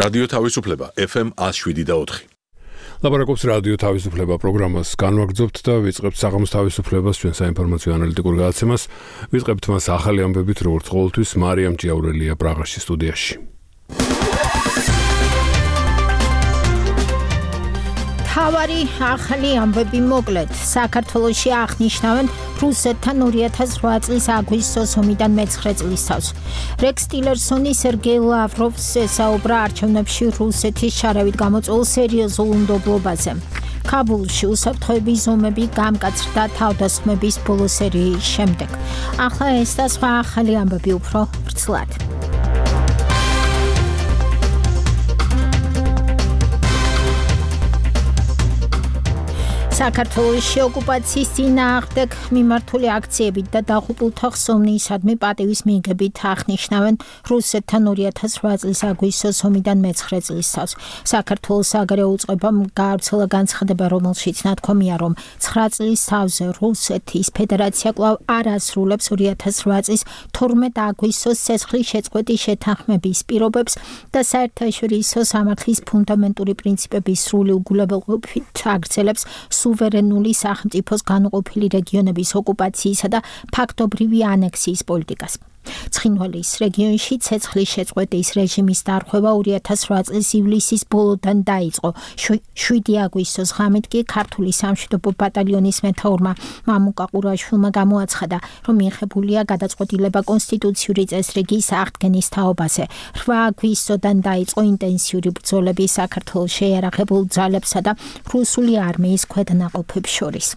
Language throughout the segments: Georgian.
რადიო თავისუფლება FM 107.4. ლაპარაკობს რადიო თავისუფლება პროგრამას განვაგრძობთ და ვიწყებთ საღამოს თავისუფლებას ჩვენ საინფორმაციო ანალიტიკურ გადაცემას. ვიწყებთ მას ახალი ამბებით, როგორც ყოველთვის მარიამ ჭიაურელია პრაღაში სტუდიაში. თავარი ახალი ამბები მოკლედ. საქართველოში აღნიშნავენ რუსეთთან 2008 წლის აგვისტოს ომიდან მე-9 წლის თავს. რექს ტილერსონი სერგეი ლავროვს ესაუბრა არჩევნებში რუსეთის შარევით გამოწვეულ სერიოზულ უნდობლობაზე. ქაბულში უსაფრთხოების ზომები გამკაცრდა თავდასხმების ბოლო სერიის შემდეგ. ახლა ეს და სხვა ახალი ამბები უფრო ვრცლად. საქართველოში ოკუპაციის წინააღმდეგ მიმართული აქციებით და დაღუპულთა ხსოვნისადმი პატივის მიღებით აღნიშნავენ რუსეთთან 2008 წლის აგვისტოს ომიდან მე-9 წლის თავს. საქართველოს საგარეო უწყებამ გაავრცელა განცხადება, რომელშიც ნათქვამია, რომ 9 წლის თავზე რუსეთის ფედერაცია კვლავ არ ასრულებს 2008 წლის 12 აგვისტოს ცეცხლის შეწყვეტის შეთანხმების პირობებს და საერთაშორისო სამართლის ფუნდამენტური პრინციპების სრული უგულებელყოფით აგრძელებს სუვერენული სახელმწიფოს განუყოფელი რეგიონების ოკუპაციისა და ფაქტობრივი ანექსიის პოლიტიკას. ცხინვალის რეგიონში ცეცხლის შეწყვეტის რეჟიმის დარღვევა 2008 წლის ივლისის ბოლოდან დაიწყო. 7 აგვისტოს ღამით კი ქართული სამშვიდობო ბატალიონის მეთაურმა მამუკა ყურაშვილმა გამოაცხადა, რომ მიღებულია გადაწყვეტილება კონსტიტუციური წესრიგის აღდგენის თაობაზე. 8 აგვისტოდან დაიწყო ინტენსიური ბრძოლები საქართველოს შეიარაღებულ ძალებსა და რუსული არმიის ქვედანაყოფებს შორის.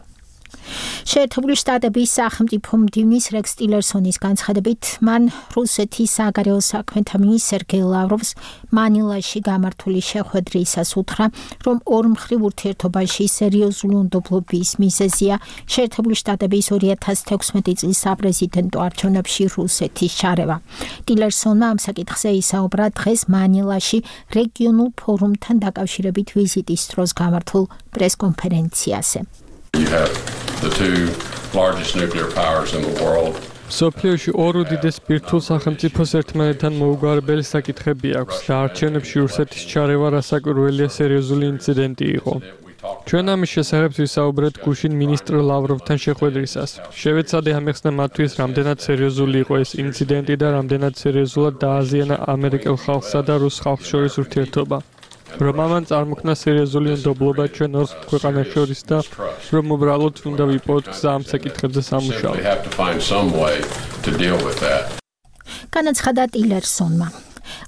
შეერთებული შტატების სახელმწიფო მდივნის რექს ტილერსონის განცხადებით, მან რუსეთის საგარეო საქმეთა მინისტრ სერგეი ლავროვს მანილაში გამართული შეხვედრისას უთხრა, რომ ორმხრივ ურთიერთობაში სერიოზული უნდობლობის მიზეზია შეერთებული შტატების 2016 წლის საპრეზიდენტო არჩევნებში რუსეთის შარევა. ტილერსონმა ამ საკითხზე ისაუბრა დღეს მანილაში რეგიონულ ფორუმთან დაკავშირებით ვიზიტის დროს გამართულ პრესკონფერენციაზე. The two largest nuclear powers in the world. სოფლიოში ორ უდიდეს ბირთვულ სახელმწიფოს ერთმანეთთან მოუგვარებელი საკითხები აქვს და არჩევნებში რუსეთის ჩარევა რასაკვირველია სერიოზული ინციდენტი იყო. ჩვენ ამის შესახებ ვისაუბრეთ გუშინ მინისტრ ლავროვთან შეხვედრისას. შევეცადე ამეხსნა მათთვის, რამდენად სერიოზული იყო ეს ინციდენტი და რამდენად სერიოზულად დააზიანა ამერიკელ ხალხსა და რუს ხალხს შორის ურთიერთობა. რომ ამან წარმოქმნა სერიოზული უნდობლობა ჩვენ ორ ქვეყანას შორის და რომ უბრალოდ უნდა ვიპოვოთ გზა ამ საკითხებზე სამუშაოდ. განაცხადა ტილერსონმა.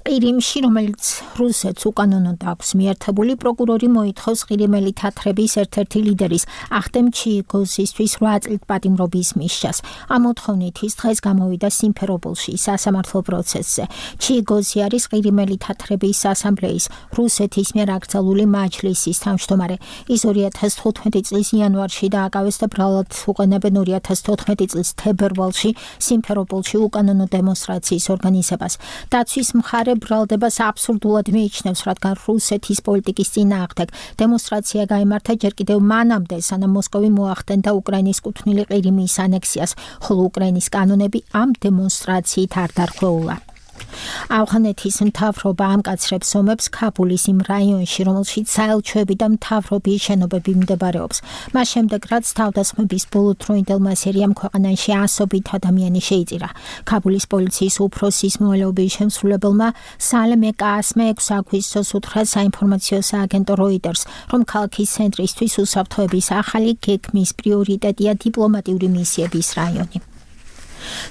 ყირიმში, რომელიც რუსეთს უკანონოდ აქვს მიერთებული, პროკურორი მოითხოვს ყირიმელი თათრების ერთ-ერთი ლიდერის ახტემ ჩიგოზისთვის 8 წლით პატიმრობის მისჯას. ამ მოთხოვნით ის დღეს გამოვიდა სიმფეროპოლში სასამართლო პროცესზე. ჩიგოზი არის ყირიმელი თათრების ასამბლეის რუსეთის მიერ აკრძალული მაჯლისის თავმჯდომარე. ის 2015 წლის იანვარში დააკავეს და ბრალად უყენებენ 2014 წლის თებერვალში სიმფეროპოლში უკანონო დემონსტრაციის ორგანიზებას. დაცვის მხარე ბრალდებას აბსურდულად მიიჩნევს, რადგან რუსეთის პოლიტიკის წინააღმდეგ დემონსტრაცია გაიმართა ჯერ კიდევ მანამდე, სანამ მოსკოვი მოახდენდა უკრაინის კუთვნილი ყირიმის ანექსიას, ხოლო უკრაინის კანონები ამ დემონსტრაციით არ დარღვეულა. ავღანეთის მთავრობა ამკაცრებს ომებს ქაბულის იმ რაიონში, რომელშიც საელჩოები და მთავრობის შენობები მდებარეობს. მას შემდეგ, რაც თავდასხმების ბოლო დროინდელმა სერიამ ქვეყანაში ასობით ადამიანი შეიწირა. ქაბულის პოლიციის უფროსის მოვალეობის შემსრულებელმა სალმე კასმე 6 აგვისტოს უთხრა საინფორმაციო სააგენტო როიტერს, რომ ქალაქის ცენტრისთვის უსაფრთხოების ახალი გეგმის პრიორიტეტია დიპლომატიური მისიების რაიონი.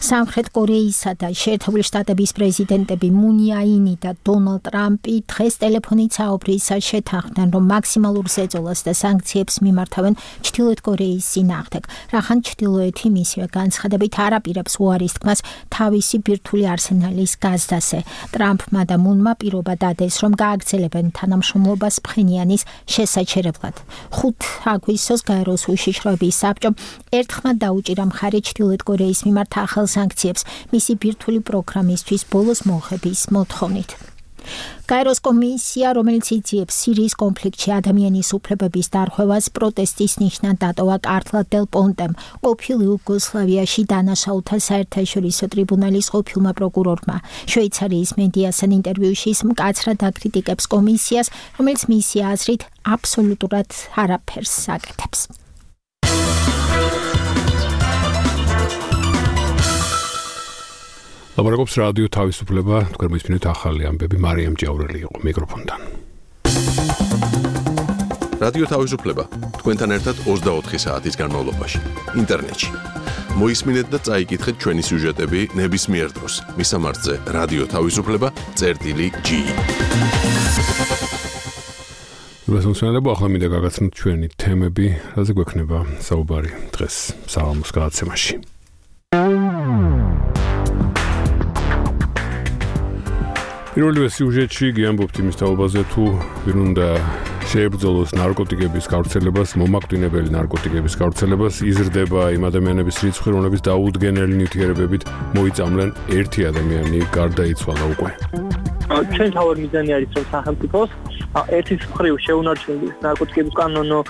სამხრეთ კორეისა და შეერთებული შტატების პრეზიდენტები მუნ იაინი და დონალდ ტრამპი დღეს ტელეფონით საუბრისას შეთანხმდნენ, რომ მაქსიმალურ ზეწოლას და სანქციებს მიმართავენ ჩრდილოეთ კორეის წინააღმდეგ, რახან ჩრდილოეთი მისივე განცხადებით არ აპირებს უარის თქმას თავისი ბირთვული არსენალის გაზდაზე. ტრამპმა და მუნმა პირობა დადეს, რომ გააგრძელებენ თანამშრომლობას ფხენიანის შესაჩერებლად. 5 აგვისტოს გაეროს უშიშროების საბჭომ ერთხმად დაუჭირა მხარი ჩრდილოეთ კორეის მიმართ ახალ სანქციებს მისი ბირთვული პროგრამისთვის ბოლოს მოხების მოთხოვნით. გაეროს კომისია, რომელიც იძიებს სირიის კონფლიქტში ადამიანის უფლებების დარღვევას, პროტესტის ნიშნად დატოვა კარტლა დელ პონტემ, ყოფილ იუგოსლავიაში დანაშაულთა საერთაშორისო ტრიბუნალის ყოფილმა პროკურორმა. შვეიცარიის მედიასთან ინტერვიუში ის მკაცრად აკრიტიკებს კომისიას, რომელიც მისი აზრით აბსოლუტურად არაფერს აკეთებს. ლაპარაკობს რადიო თავისუფლება, თქვენ მისმინეთ ახალი ამბები, მარიამ ჭიაურელი იყო მიკროფონთან. რადიო თავისუფლება, თქვენთან ერთად 24 საათის განმავლობაში, ინტერნეტში. მოისმინეთ და წაიკითხეთ ჩვენი სიუჟეტები ნებისმიერ დროს. მისამართზე რადიო თავისუფლება.gi. გასულსვენებო ახლა მინდა გაგაცნოთ ჩვენი თემები, რაზე გვექნება საუბარი დღეს საღამოს გადაცემაში. პირველივე სიუჟეტში გიამბობთ იმის თაობაზე, თუ ვინ უნდა შეებრძოლოს ნარკოტიკების გავრცელებას, მომაკვდინებელი ნარკოტიკების გავრცელებას, იზრდება იმ ადამიანების რიცხვი, რომლებიც დაუდგენელი ნივთიერებებით მოიწამლენ ერთი ადამიანი გარდაიცვალა უკვე. ჩვენ თავად მიზანი არის, რომ სახელმწიფოს ერთის მხრივ შეუნარჩუნდეს ნარკოტიკების კანონო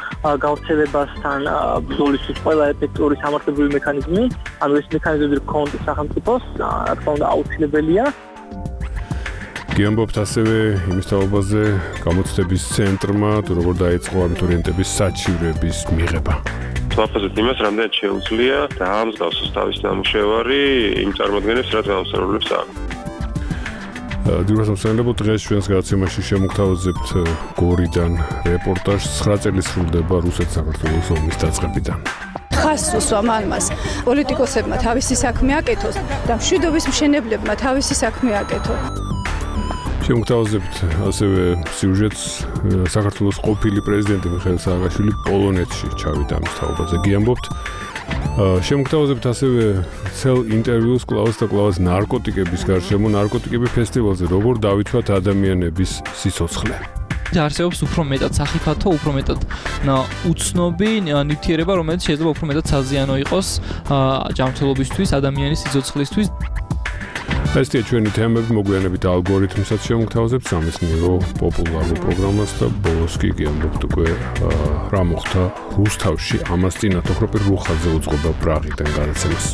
გავრცელებასთან ბრძოლისთვის ყველა ეფექტური სამართლებრივი მექანიზმი, ანუ ეს მექანიზმები გქონდეს სახელმწიფოს, რა თქმა უნდა აუცილებელია. გიამბობთ ასევე იმის თაობაზე, გამოცდების ცენტრმა თუ როგორ დაიწყო აბიტურიენტების საჩივრების მიღება. ვაფასებთ იმას, რამდენად შეუძლია დაამსგავსოს თავისი ნამუშევარი იმ წარმოდგენებს, რაც გამოსწორებლებს აქვს. დიურასამსალებო დღეს ჩვენს გადაცემაში შემოგთავაზებთ გორიდან რეპორტაჟს 9 წელი სრულდება რუსეთ-საქართველოს ომის დაწყებიდან. ხას უსვა მანმას პოლიტიკოსებმა თავისი საქმე აკეთოს და მშვიდობის მშენებლებმა თავისი საქმე აკეთოს. შემოგთავაზებთ ასევე სიუჟეტს საქართველოს ყოფილი პრეზიდენტი მიხეილ სააკაშვილი პოლონეთში ჩავიდა ამის თაობაზე გიამბობთ. შემოგთავაზებთ ასევე ცელ ინტერვიუს კლავას და კლავას ნარკოტიკების გარშემო ნარკოტიკები ფესტივალზე როგორ დავითვათ ადამიანების სიცოცხლე. არსებობს უფრო მეტად სახიფათო, უფრო მეტად უცნობი ნივთიერება, რომელიც შეიძლება უფრო მეტად საზიანო იყოს ჯანმრთელობისთვის, ადამიანის სიცოცხლისთვის. ესეა ჩვენი თემები, მოგვიანებით ალგორითმსაც შემოგთავაზებთ სამეცნიერო პოპულარულ პროგრამას და ბოლოს კი გიამბობთ უკვე რა მოხდა რუსთავში ამას წინათ ოქროპირ რუხაძე უძღვება პრაღიდან გადაცემას.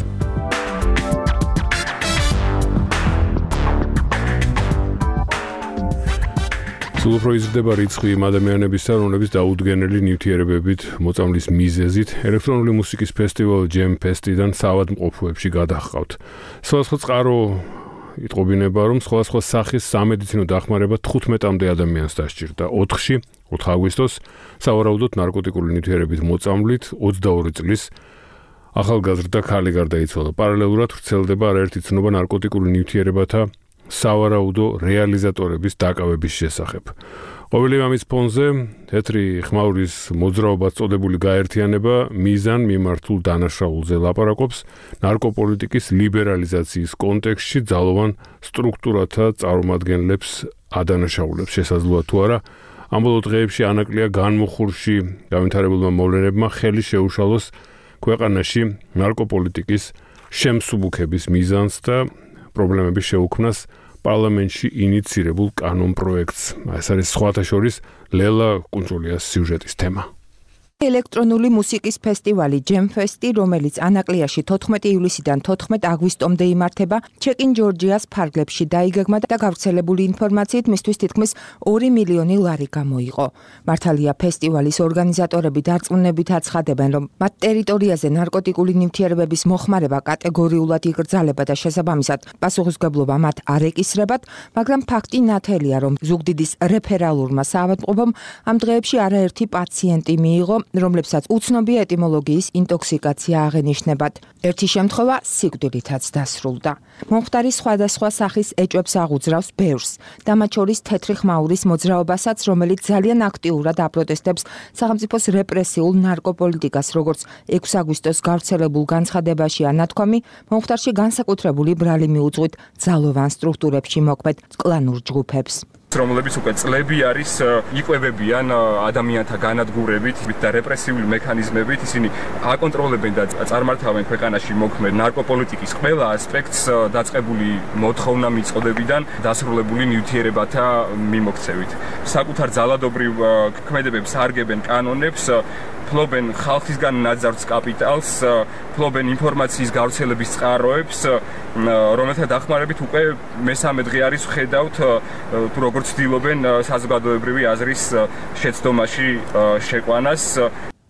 სულ უფრო იზრდება რიცხვი იმ ადამიანებისა, რომლებიც დაუდგენელი ნივთიერებებით მოწამვლის მიზეზით ელექტრონული მუსიკის ფესტივალ Jam Fest-დან საავადმყოფოებში გადაჰყავთ. სხვადასხვა წყარო იტყობინება, რომ სხვადასხვა სახის სამედიცინო დახმარება 15-მდე ადამიანს დასჭირდა. 4 აგვისტოს სავარაუდოდ ნარკოტიკული ნივთიერებით მოწამვლით 22 წლის ახალგაზრდა ქალი გარდაიცვალა. პარალელურად ვრცელდება არაერთი ცნობა ნარკოტიკული ნივთიერებათა სავარაუდო რეალიზატორების დაკავების შესახებ. ყოველი ამის ფონზე თეთრი ხმაურის მოძრაობად წოდებული გაერთიანება მიზან მიმართულ დანაშაულზე ლაპარაკობს ნარკოპოლიტიკის ლიბერალიზაციის კონტექსტში ძალოვან სტრუქტურათა წარმომადგენლებს ადანაშაულებს შესაძლოა თუ არა ამ ბოლო დღეებში ანაკლია განმუხურში განვითარებულმა მოვლენებმა ხელი შეუშალოს ქვეყანაში ნარკოპოლიტიკის შემსუბუქების მიზანს და პრობლემების შეუქმნას პარლამენტში ინიცირებულ კანონპროექტს. ეს არის სხვათა შორის ლელა კუნძულიას სიუჟეტის თემა. ელექტრონული მუსიკის ფესტივალი Jam Fest-ი, რომელიც ანაკლიაში 14 ივლისიდან 14 აგვისტომდე იმართება, ჩეკინ ჯორჯიას ფარგლებში დაიგეგმა და გავრცელებული ინფორმაციით მისთვის თითქმის 2 მილიონი ლარი გამოიყო. მართალია ფესტივალის ორგანიზატორები დარწმუნებით აცხადებენ, რომ მათ ტერიტორიაზე ნარკოტიკული ნივთიერებების მოხმარება კატეგორიულად იკრძალება და შესაბამისად პასუხისმგებლობა მათ არ ეკისრებათ, მაგრამ ფაქტი ნათელია, რომ ზუგდიდის რეფერალურმა საავადმყოფომ ამ დღეებში არაერთი პაციენტი მიიღო, რომლებსაც უცნობი ეტიმოლოგიის ინტოქსიკაცია აღენიშნებათ. ერთი შემთხვევა სიკვდილითაც დასრულდა. მომხდარი სხვადასხვა სახის ეჭვებს აღუძრავს ბევრს, და მათ შორის თეთრი ხმაურის მოძრაობასაც, რომელიც ძალიან აქტიურად აპროტესტებს სახელმწიფოს რეპრესიულ ნარკოპოლიტიკას, როგორც 6 აგვისტოს გავრცელებულ განცხადებაშია ნათქვამი, მომხდარში განსაკუთრებული ბრალი მიუძღვით ძალოვან სტრუქტურებში მოქმედ კლანურ ჯგუფებს. რომლებიც უკვე წლები არის იკვებებიან ადამიანთა განადგურებით და რეპრესიული მექანიზმებით, ისინი აკონტროლებენ და წარმართავენ ქვეყანაში მოქმედ ნარკოპოლიტიკის ყველა ასპექტს დაწყებული მოთხოვნა მიწოდებიდან დასრულებული ნივთიერებათა მიმოქცევით. საკუთარ ძალადობრივ ქმედებებს არგებენ კანონებს, ფლობენ ხალხისგან ნაძარცს კაპიტალს, ფლობენ ინფორმაციის გავრცელების წყაროებს, რომელთა დახმარებით უკვე მესამე დღე არის ვხედავთ თუ როგორ ცდილობენ საზოგადოებრივი აზრის შეცდომაში შეყვანას.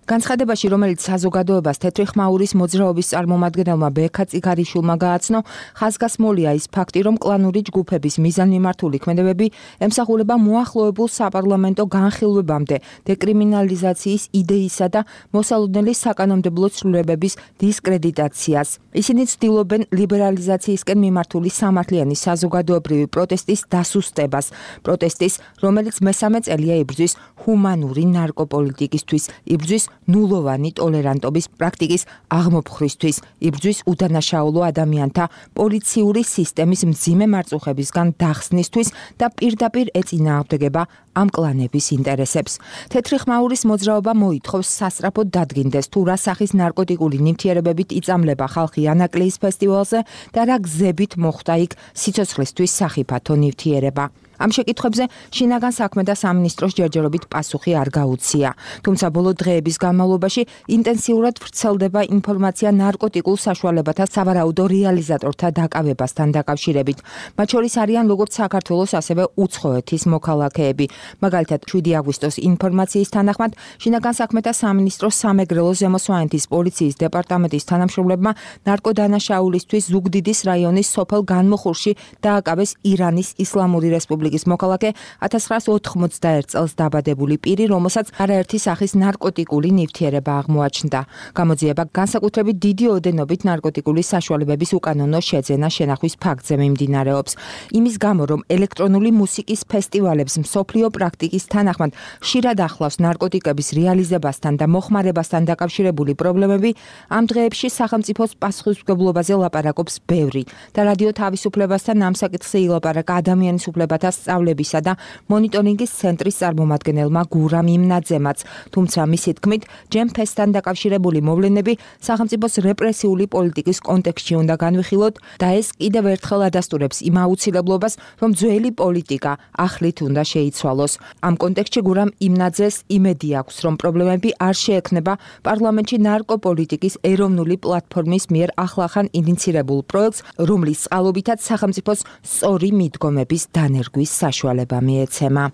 განცხადებაში, რომელიც საზოგადოებას თეთრი ხმაურის მოძრაობის წარმომადგენელმა ბექა წიგარიშვილმა გააცნო, ხაზგასმულია ის ფაქტი, რომ კლანური ჯგუფების მიზანმიმართული ქმედებები ემსახურება მოახლოებულ საპარლამენტო განხილვებამდე დეკრიმინალიზაციის იდეისა და მოსალოდნელი საკანონმდებლო ცვლილებების დისკრედიტაციას. ისინი ცდილობენ ლიბერალიზაციისკენ მიმართული სამართლიანი საზოგადოებრივი პროტესტის დასუსტებას, პროტესტის, რომელიც მესამე წელია იბრძვის ჰუმანური ნარკოპოლიტიკისთვის, იბრძვის ნულოვანი ტოლერანტობის პრაქტიკის აღმოფხრისთვის, იბრძვის უდანაშაულო ადამიანთა პოლიციური სისტემის მძიმე მარწუხებისგან დახსნისთვის და პირდაპირ ეწინააღმდეგება ამ კლანების ინტერესებს. თეთრი ხმაურის მოძრაობა მოითხოვს სასწრაფოდ დადგინდეს თუ რა სახის ნარკოტიკული ნივთიერებებით იწამლება ხალხი ანაკლიის ფესტივალზე და რა გზებით მოხვდა იქ სიცოცხლისთვის სახიფათო ნივთიერება. ამ შეკითხვებზე შინაგან საქმე და სამინისტროს ჯერჯერობით პასუხი არ გაუცია. თუმცა ბოლო დღეების განმავლობაში ინტენსიურად ვრცელდება ინფორმაცია ნარკოტიკულ საშუალებათა სავარაუდო რეალიზატორთა დაკავებასთან დაკავშირებით. მათ შორის არიან როგორც საქართველოს, ასევე უცხოეთის მოქალაქეები. მაგალითად, 7 აგვისტოს ინფორმაციის თანახმად, შინაგან საქმეთა სამინისტროს სამეგრელო ზემოსვანეთის პოლიციის დეპარტამენტის თანამშრომლებმა ნარკოდანაშაულისთვის ზუგდიდის რაიონის სოფელ განმოხურში დააკავეს ირანის ისლამური რესპუბლიკის მოქალაქე 1991 წელს დაბადებული პირი, რომელსაც არაერთი სახის ნარკოტიკული ნივთიერება აღმოაჩნდა. გამოძიება განსაკუთრებით დიდი ოდენობით ნარკოტიკული საშუალებების უკანონო შეძენა შენახვის ფაქტზე მიმდინარეობს. იმის გამო, რომ ელექტრონული მუსიკის ფესტივალებს მსოფლიო პრაქტიკის თანახმად ხშირად ახლავს ნარკოტიკების რეალიზებასთან და მოხმარებასთან დაკავშირებული პრობლემები, ამ დღეებში სახელმწიფოს პასუხისმგებლობაზე ლაპარაკობს ბევრი და რადიო თავისუფლებასთან ამ საკითხზე ილაპარაკა ადამიანის უფლებათა სწავლებისა და მონიტორინგის ცენტრის წარმომადგენელმა გურამ იმნაძემაც, თუმცა მისი თქმით, ჯემფესთან დაკავშირებული მოვლენები სახელმწიფოს რეპრესიული პოლიტიკის კონტექსტში უნდა განვიხილოთ და ეს კიდევ ერთხელ ადასტურებს იმ აუცილებლობას, რომ ძველი პოლიტიკა ახლით უნდა შეიცვალოს. ამ კონტექსტში გურამ იმნაძეს იმედი აქვს, რომ პრობლემები არ შეექმნება პარლამენტში ნარკოპოლიტიკის ეროვნული პლატფორმის მიერ ახლახან ინიცირებულ პროექტს, რომლის წყალობითაც სახელმწიფოს სწორი მიდგომების დანერგვის საშუალება მიეცემა.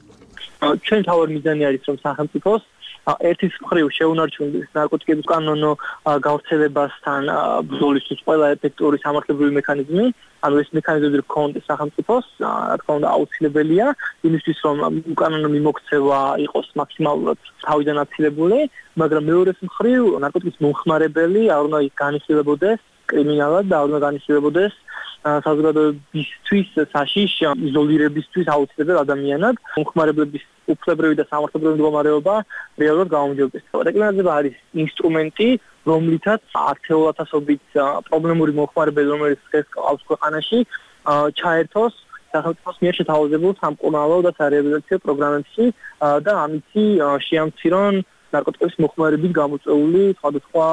ჩვენ თავად მიზანი არის, რომ სახელმწიფოს ერთის მხრივ შეუნარჩუნდეს ნარკოტიკების კანონო გავრცელებასთან ბრძოლისთვის ყველა ეფექტური სამართლებრივი მექანიზმი, ანუ ეს მექანიზმები გქონდეს სახელმწიფოს, რა თქმა უნდა აუცილებელია იმისთვის, რომ უკანონო მიმოქცევა იყოს მაქსიმალურად თავიდან აცილებული, მაგრამ მეორეს მხრივ ნარკოტიკის მომხმარებელი არ უნდა განიხილებოდეს კრიმინალად და არ უნდა განიხილებოდეს საზოგადოებისთვის საშიშ იზოლირებისთვის აუცილებელ ადამიანად. მომხმარებლების უფლებრივი და სამართლებრივი მდგომარეობა რეალურად გაუმჯობესდეს. რეკრიმინალიზება არის ინსტრუმენტი, რომლითაც ათეულათასობით პრობლემური მომხმარებელი, რომელიც დღეს ყავს ქვეყანაში, ჩაერთოს სახელმწიფოს მიერ შეთავაზებულ სამკურნალო და სარეაბილიტაციო პროგრამებში და ამითი შეამცირონ ნარკოტიკების მომხმარებით გამოწვეული სხვადასხვა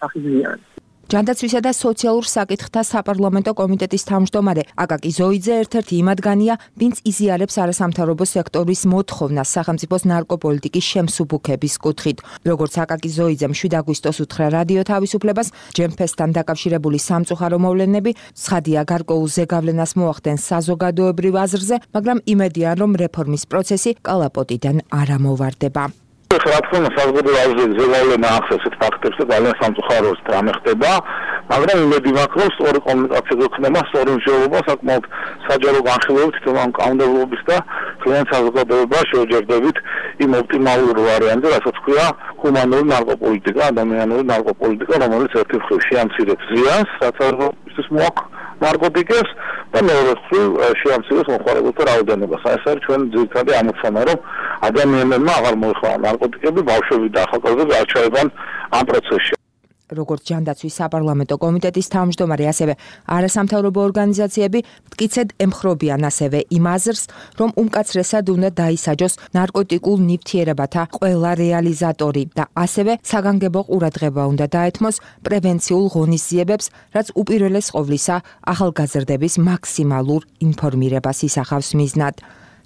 სახის ზიანი. ჯანდაცვისა და სოციალურ საკითხთა საპარლამენტო კომიტეტის თავმჯდომარე აკაკი ზოიძე ერთ-ერთი იმ ადგანია, ვინც იზიარებს არასამთავრობო სექტორის მოთხოვნას სახელმწიფოს ნარკოპოლიტიკის შემსუბუქების კუთხით. როგორც აკაკი ზოიძემ 7 აგვისტოს უთხრა რადიო თავისუფლებას, ჯემფესთან დაკავშირებული სამწუხარო მოვლენები ცხადია გარკვეულ ზეგავლენას მოახდენს საზოგადოებრივ აზრზე, მაგრამ იმედია, რომ რეფორმის პროცესი კალაპოტიდან არ ამოვარდება. რა თქმა უნდა საზოგადოებრივი ზეგავლენა ახსენებს ფაქტებს და ძალიან სამწუხაროს რამე ხდება, მაგრამ იმედი მაქვს, რომ სწორი კომუნიკაცია გქნება, სწორი მსჯელობა საკმაოდ საჯარო განხილვებით თვითონ კანონმდებლობის და ძალიან საზოგადოებას შევჯერდებით იმ ოპტიმალურ ვარიანტზე, რასაც ქვია ჰუმანური ნარკოპოლიტიკა, ადამიანური ნარკოპოლიტიკა, რომელიც ერთი მხრივ შეამცირებს ზიანს, რაც არის მოაქვს ნარკოტიკებს და მეორე მხრივ შეამცირებს მომხმარებელთა რაოდენობას. ეს არის ჩვენ ძირითადი ამოცანა, რომ ადამიანებმა აღარ მოიხმარონ ნარკოტიკები, ბავშვები და ახალგაზრდები არ ჩაებან ამ პროცესში. როგორც ჯანდაცვის საპარლამენტო კომიტეტის თავმჯდომარე, ასევე არასამთავრობო ორგანიზაციები მტკიცედ ემხრობიან ასევე იმ აზრს, რომ უმკაცრესად უნდა დაისაჯოს ნარკოტიკულ ნივთიერებათა ყველა რეალიზატორი და ასევე საგანგებო ყურადღება უნდა დაეთმოს პრევენციულ ღონისძიებებს, რაც უპირველეს ყოვლისა ახალგაზრდების მაქსიმალურ ინფორმირებას ისახავს მიზნად.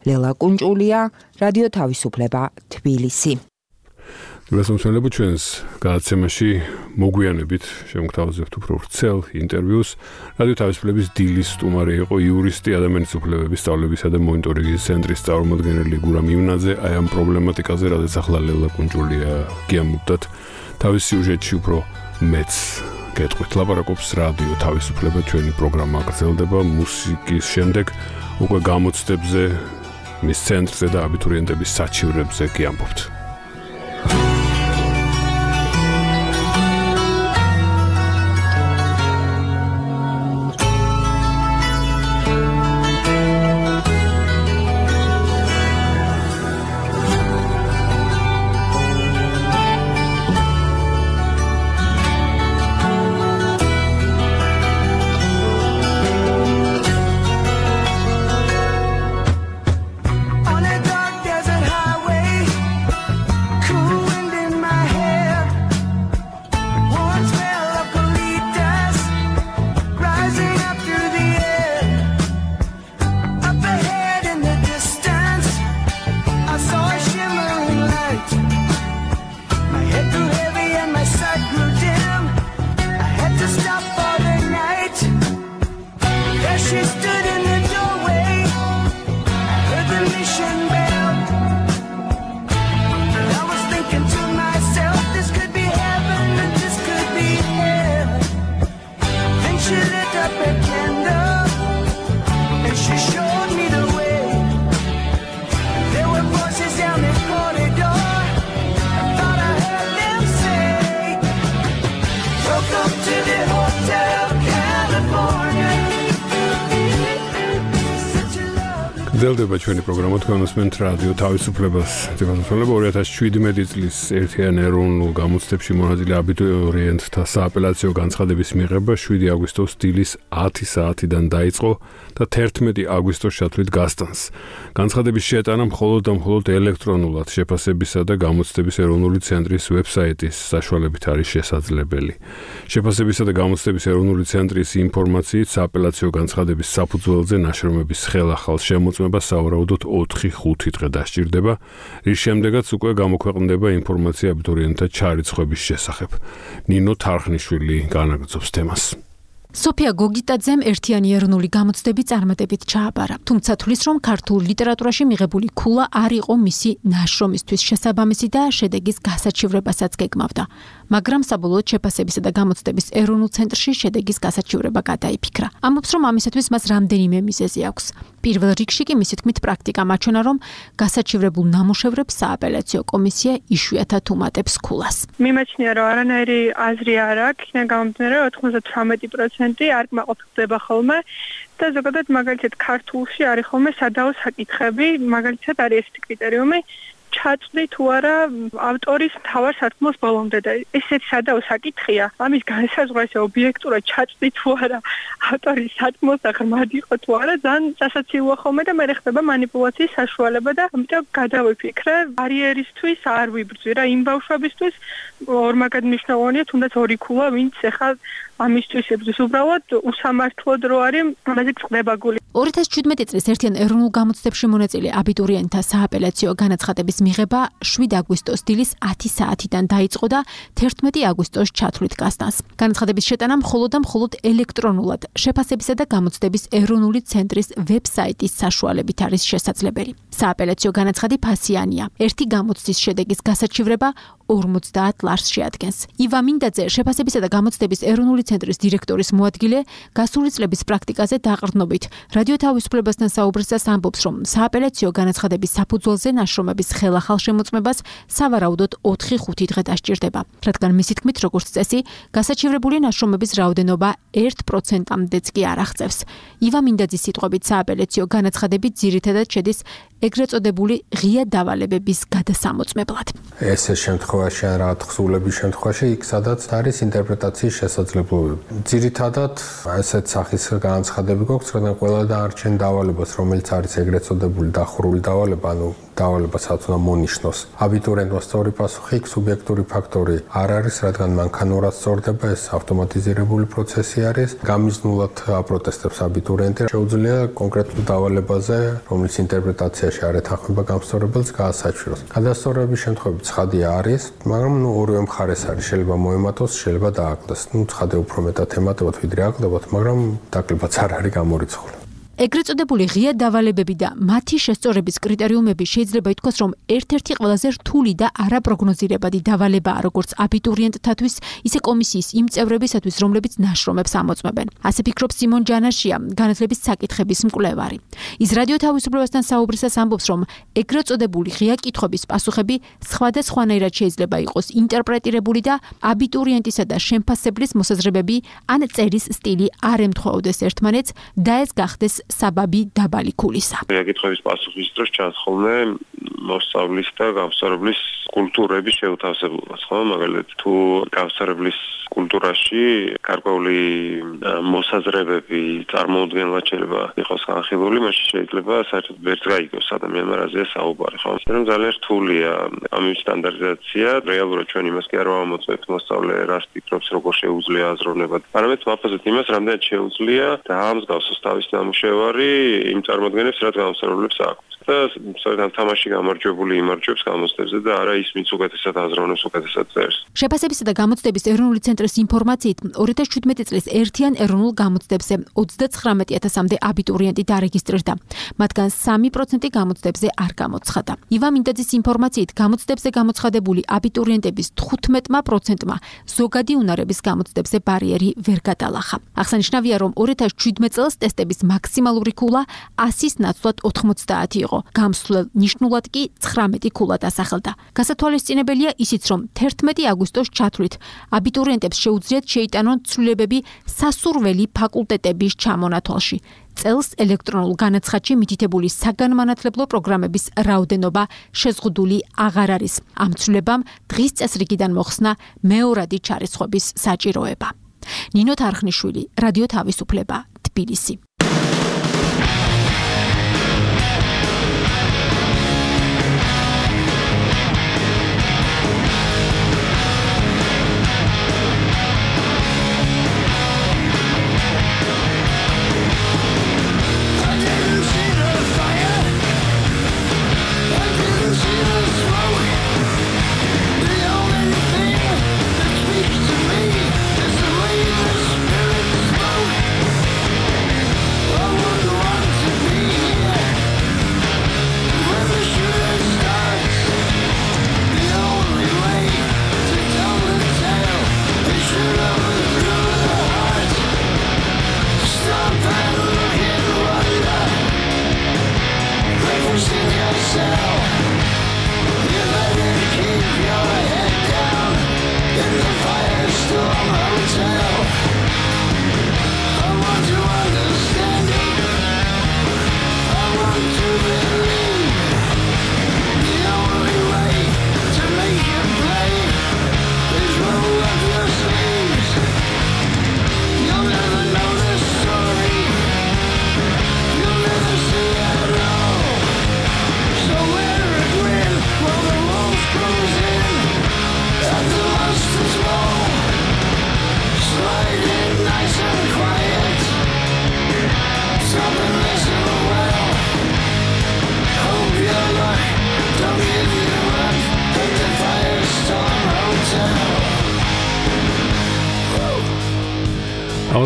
ლელა კუნჭულია, რადიო თავისუფლება, თბილისი. გასამსვლელობ ჩვენს გადაცემაში მოგვიანებით შემოგთავაზებთ უფრო ვრცელ ინტერვიუს. რადიო თავისუფლების დილის სტუმარი იყო იურისტი, ადამიანის უფლებების სწავლებისა და მონიტორინგის ცენტრის წარმომადგენელი გურამ ივნაძე. აი ამ პრობლემატიკაზე, რადგან ახლა ლელა კუნჭულია გიამბობთ თავის სიუჟეტში უფრო მეც გეტყვით. ლაპარაკობს რადიო თავისუფლება, ჩვენი პროგრამა გრძელდება მუსიკის შემდეგ უკვე გამოცდებზე, მის ცენტრზე და აბიტურიენტების საჩივრებზე გიამბობთ. გრძელდება ჩვენი პროგრამა, თქვენ უსმენთ რადიო თავისუფლებას. თვითმფრინავება 2017 წლის ერთიან ეროვნულ გამოცდებში მონაწილე აბიტურიენტთა სააპელაციო განცხადების მიღება 7 აგვისტოს დილის 10 საათიდან დაიწყო და 11 აგვისტოს ჩათვლით გასტანს. განცხადების შეტანა მხოლოდ და მხოლოდ ელექტრონულად შეფასებისა და გამოცდების ეროვნული ცენტრის ვებსაიტის საშუალებით არის შესაძლებელი. შეფასებისა და გამოცდების ეროვნული ცენტრის ინფორმაციით სააპელაციო განცხადების საფუძველზე ნაშრომების ხელახალ შემოწმება სავარაუდოდ 4-5 დღე დასჭირდება, რის შემდეგაც უკვე გამოქვეყნდება ინფორმაცია აბიტურიენტთა ჩარიცხვების შესახებ. ნინო თარხნიშვილი განაგრძობს თემას. სოფია გოგიტაძემ ერთიანი ეროვნული გამოცდები წარმატებით ჩააბარა. თუმცა თulis რომ ქართულ ლიტერატურაში მიღებული ქულა არ იყო მისი ნაშრომისთვის შესაბამისი და შედეგის გასაჩივრებასაც გეგმავდა. მაგრამ საბოლოოდ შეფასებისა და გამოცდების ეროვნულ ცენტრში შედეგის გასაჩივრება გადაიფიქრა. ამბობს რომ ამისათვის მას რამდენიმე მიზეზი აქვს. პირველ რიგში კი მისი თქმით პრაქტიკა მაჩვენა რომ გასაჩივრებულ ნამუშევრებს სააპელაციო კომისია იშვიათად უმატებს ქულას. მიმაჩნია რომ არანაირი აზრი არ აქვს, იქიდან გამომდინარე 98% არ კმაყოფილდება ხოლმე და ზოგადად მაგალითად ქართულში არის ხოლმე სადაო საკითხები, მაგალითად არის ესეთი კრიტერიუმი ჩაწვდი თუ არა ავტორის მთავარ სათქმოს ბოლომდე და ესეთი სადაო საკითხია. ამის განსაზღვრა ობიექტურად ჩაწვდი თუ არა ავტორის სათქმოს აღრმად იყო თუ არა ძალიან სასაცილოა ხოლმე და მე ხდება манипуляციის საშუალება და ამიტომ გადავიფიქრე ბარიერისთვის არ ვიბრძვი რა იმ ბავშვებისთვის ორმაგად მნიშვნელოვანია თუნდაც ორი ქულა ვინც ახლა ამისთვის ებრძვის უბრალოდ უსამართლოდ რო არის ამაზე წდება გული. 2017 წლის ერთიან ეროვნულ გამოცდებში მონაწილე აბიტურიენტთა სააპელაციო განაცხადების მიღება 7 აგვისტოს დილის 10 საათიდან დაიწყო და 11 აგვისტოს ჩათვლით გასტანს. განაცხადების შეტანა მხოლოდ და მხოლოდ ელექტრონულად შეფასებისა და გამოცდების ეროვნული ცენტრის ვებსაიტის საშუალებით არის შესაძლებელი. სააპელაციო განაცხადი ფასიანია. ერთი გამოცდის შედეგის გასაჩივრება 50 ლარს შეადგენს. ივა მინდაძე შეფასებისა და გამოცდების ეროვნული ცენტრის დირექტორის მოადგილე გასული წლების პრაქტიკაზე დაყრდნობით რადიო თავისუფლებასთან საუბრისას ამბობს, რომ სააპელაციო განაცხადების საფუძველზე ნაშრომების ხელახალ შემოწმებას სავარაუდოდ 4-5 დღე დასჭირდება, რადგან მისი თქმით, როგორც წესი, გასაჩივრებული ნაშრომების რაოდენობა 1%-მდეც კი არ აღწევს. ივა მინდაძის სიტყვებით, სააპელაციო განაცხადები ძირითადად შედის ეგრეთ წოდებული ღია დავალებების გადასამოწმებლად. ეს შემთხვევაში ან რაღაც თხზულების შემთხვევაში იქ სადაც არის ინტერპრეტაციის შესაძლებლობები. ძირითადად ესეთ სახის განაცხადები გვაქვს, რადგან ყველა დაარჩენ დავალებას, რომელიც არის ეგრეთ წოდებული დახურული დავალება, ანუ დავალება სადაც უნდა მონიშნოს. აბიტურიენტმა სწორი პასუხი, იქ სუბიექტური ფაქტორი არ არის, რადგან მანქანურად სწორდება, ეს ავტომატიზირებული პროცესი არის. გამიზნულად აპროტესტებს აბიტურიენტი, შეუძლია კონკრეტულ დავალებაზე, რომლის ინტერპრეტაციაში არ ეთანხმება გამსწორებელს, გაასაჩვიროს. გადასწორების შემთხვევები ცხადია არის, მაგრამ ორივე მხარეს არის, შეიძლება მოემატოს, შეიძლება დააკლდეს. ცხადია უფრო მეტად ემატებათ, ვიდრე აკლდებათ, მაგრამ დაკლებაც არ არის გამორიცხული. ეგრეთ წოდებული ღია დავალებები და მათი შესწორების კრიტერიუმები შეიძლება ითქვას, რომ ერთ-ერთი ყველაზე რთული და არაპროგნოზირებადი დავალებაა როგორც აბიტურიენტთათვის, ისე კომისიის იმ წევრებისათვის, რომლებიც ნაშრომებს ამოწმებენ. ასე ფიქრობს სიმონ ჯანაშია, განათლების საკითხების მკვლევარი. ის რადიო თავისუფლებასთან საუბრისას ამბობს, რომ ეგრეთ წოდებული ღია კითხვების პასუხები სხვადასხვანაირად შეიძლება იყოს ინტერპრეტირებული და აბიტურიენტისა და შემფასებლის მოსაზრებები ან წერის სტილი არ ემთხვეოდეს ერთმანეთს და ეს გახდეს საბაბი დაბალი ქულისა. Საკითხების პასუხის დროს ჩანს ხოლმე მოსწავლის და გამსწორებლის კულტურების შეუთავსებლობას, ხო? მაგალითად, თუ გამსწორებლის კულტურაში გარკვეული მოსაზრებები წარმოუდგენლად შეიძლება იყოს განხილული, მაშინ შეიძლება საერთოდ ვერც გაიგოს ადამიანმა რაზეა საუბარი, ხო? მაგრამ ძალიან რთულია ამის სტანდარტიზაცია. რეალურად ჩვენ იმას კი არ ვამოწმებთ მოსწავლე რას ფიქრობს, როგორ შეუძლია აზროვნება. არამედ ვაფასებთ იმას, რამდენად შეუძლია და ამსგავსოს თავის ნამუშევარი იმ წარმოადგენებს, რაც გამსწორებლებს აქვს. და სწორედ თამაში გამარჯვებული იმარჯვებს გამოცდებზე და არა ის, ვინც უკეთესად აზროვნებს, უკეთესად წერს. შეფასებისა და გამოცდების ეროვნული ცენტრის ინფორმაციით 2017 წლის ერთიან ეროვნულ გამოცდებზე 39,000-მდე აბიტურიენტი დარეგისტრირდა. მათგან 3% გამოცდებზე არ გამოცხადა. ივა მინდაძის ინფორმაციით გამოცდებზე გამოცხადებული აბიტურიენტების 15%-მა ზოგადი უნარების გამოცდებზე ბარიერი ვერ გადალახა. აღსანიშნავია, რომ 2017 წელს ტესტების მაქსიმალური ქულა 100-ის ნაცვლად 90 იყო. გამსვლელ ნიშნულად კი 19 ქულა დასახელდა. გასათვალისწინებელია ისიც, რომ 11 აგვისტოს ჩათვლით აბიტურიენტებს შეუძლიათ შეიტანონ ცვლილებები სასურველი ფაკულტეტების ჩამონათვალში. წელს ელექტრონულ განაცხადში მითითებული საგანმანათლებლო პროგრამების რაოდენობა შეზღუდული აღარ არის. ამ ცვლილებამ დღის წესრიგიდან მოხსნა მეორადი ჩარიცხვების საჭიროება. ნინო თარხნიშვილი, რადიო თავისუფლება, თბილისი.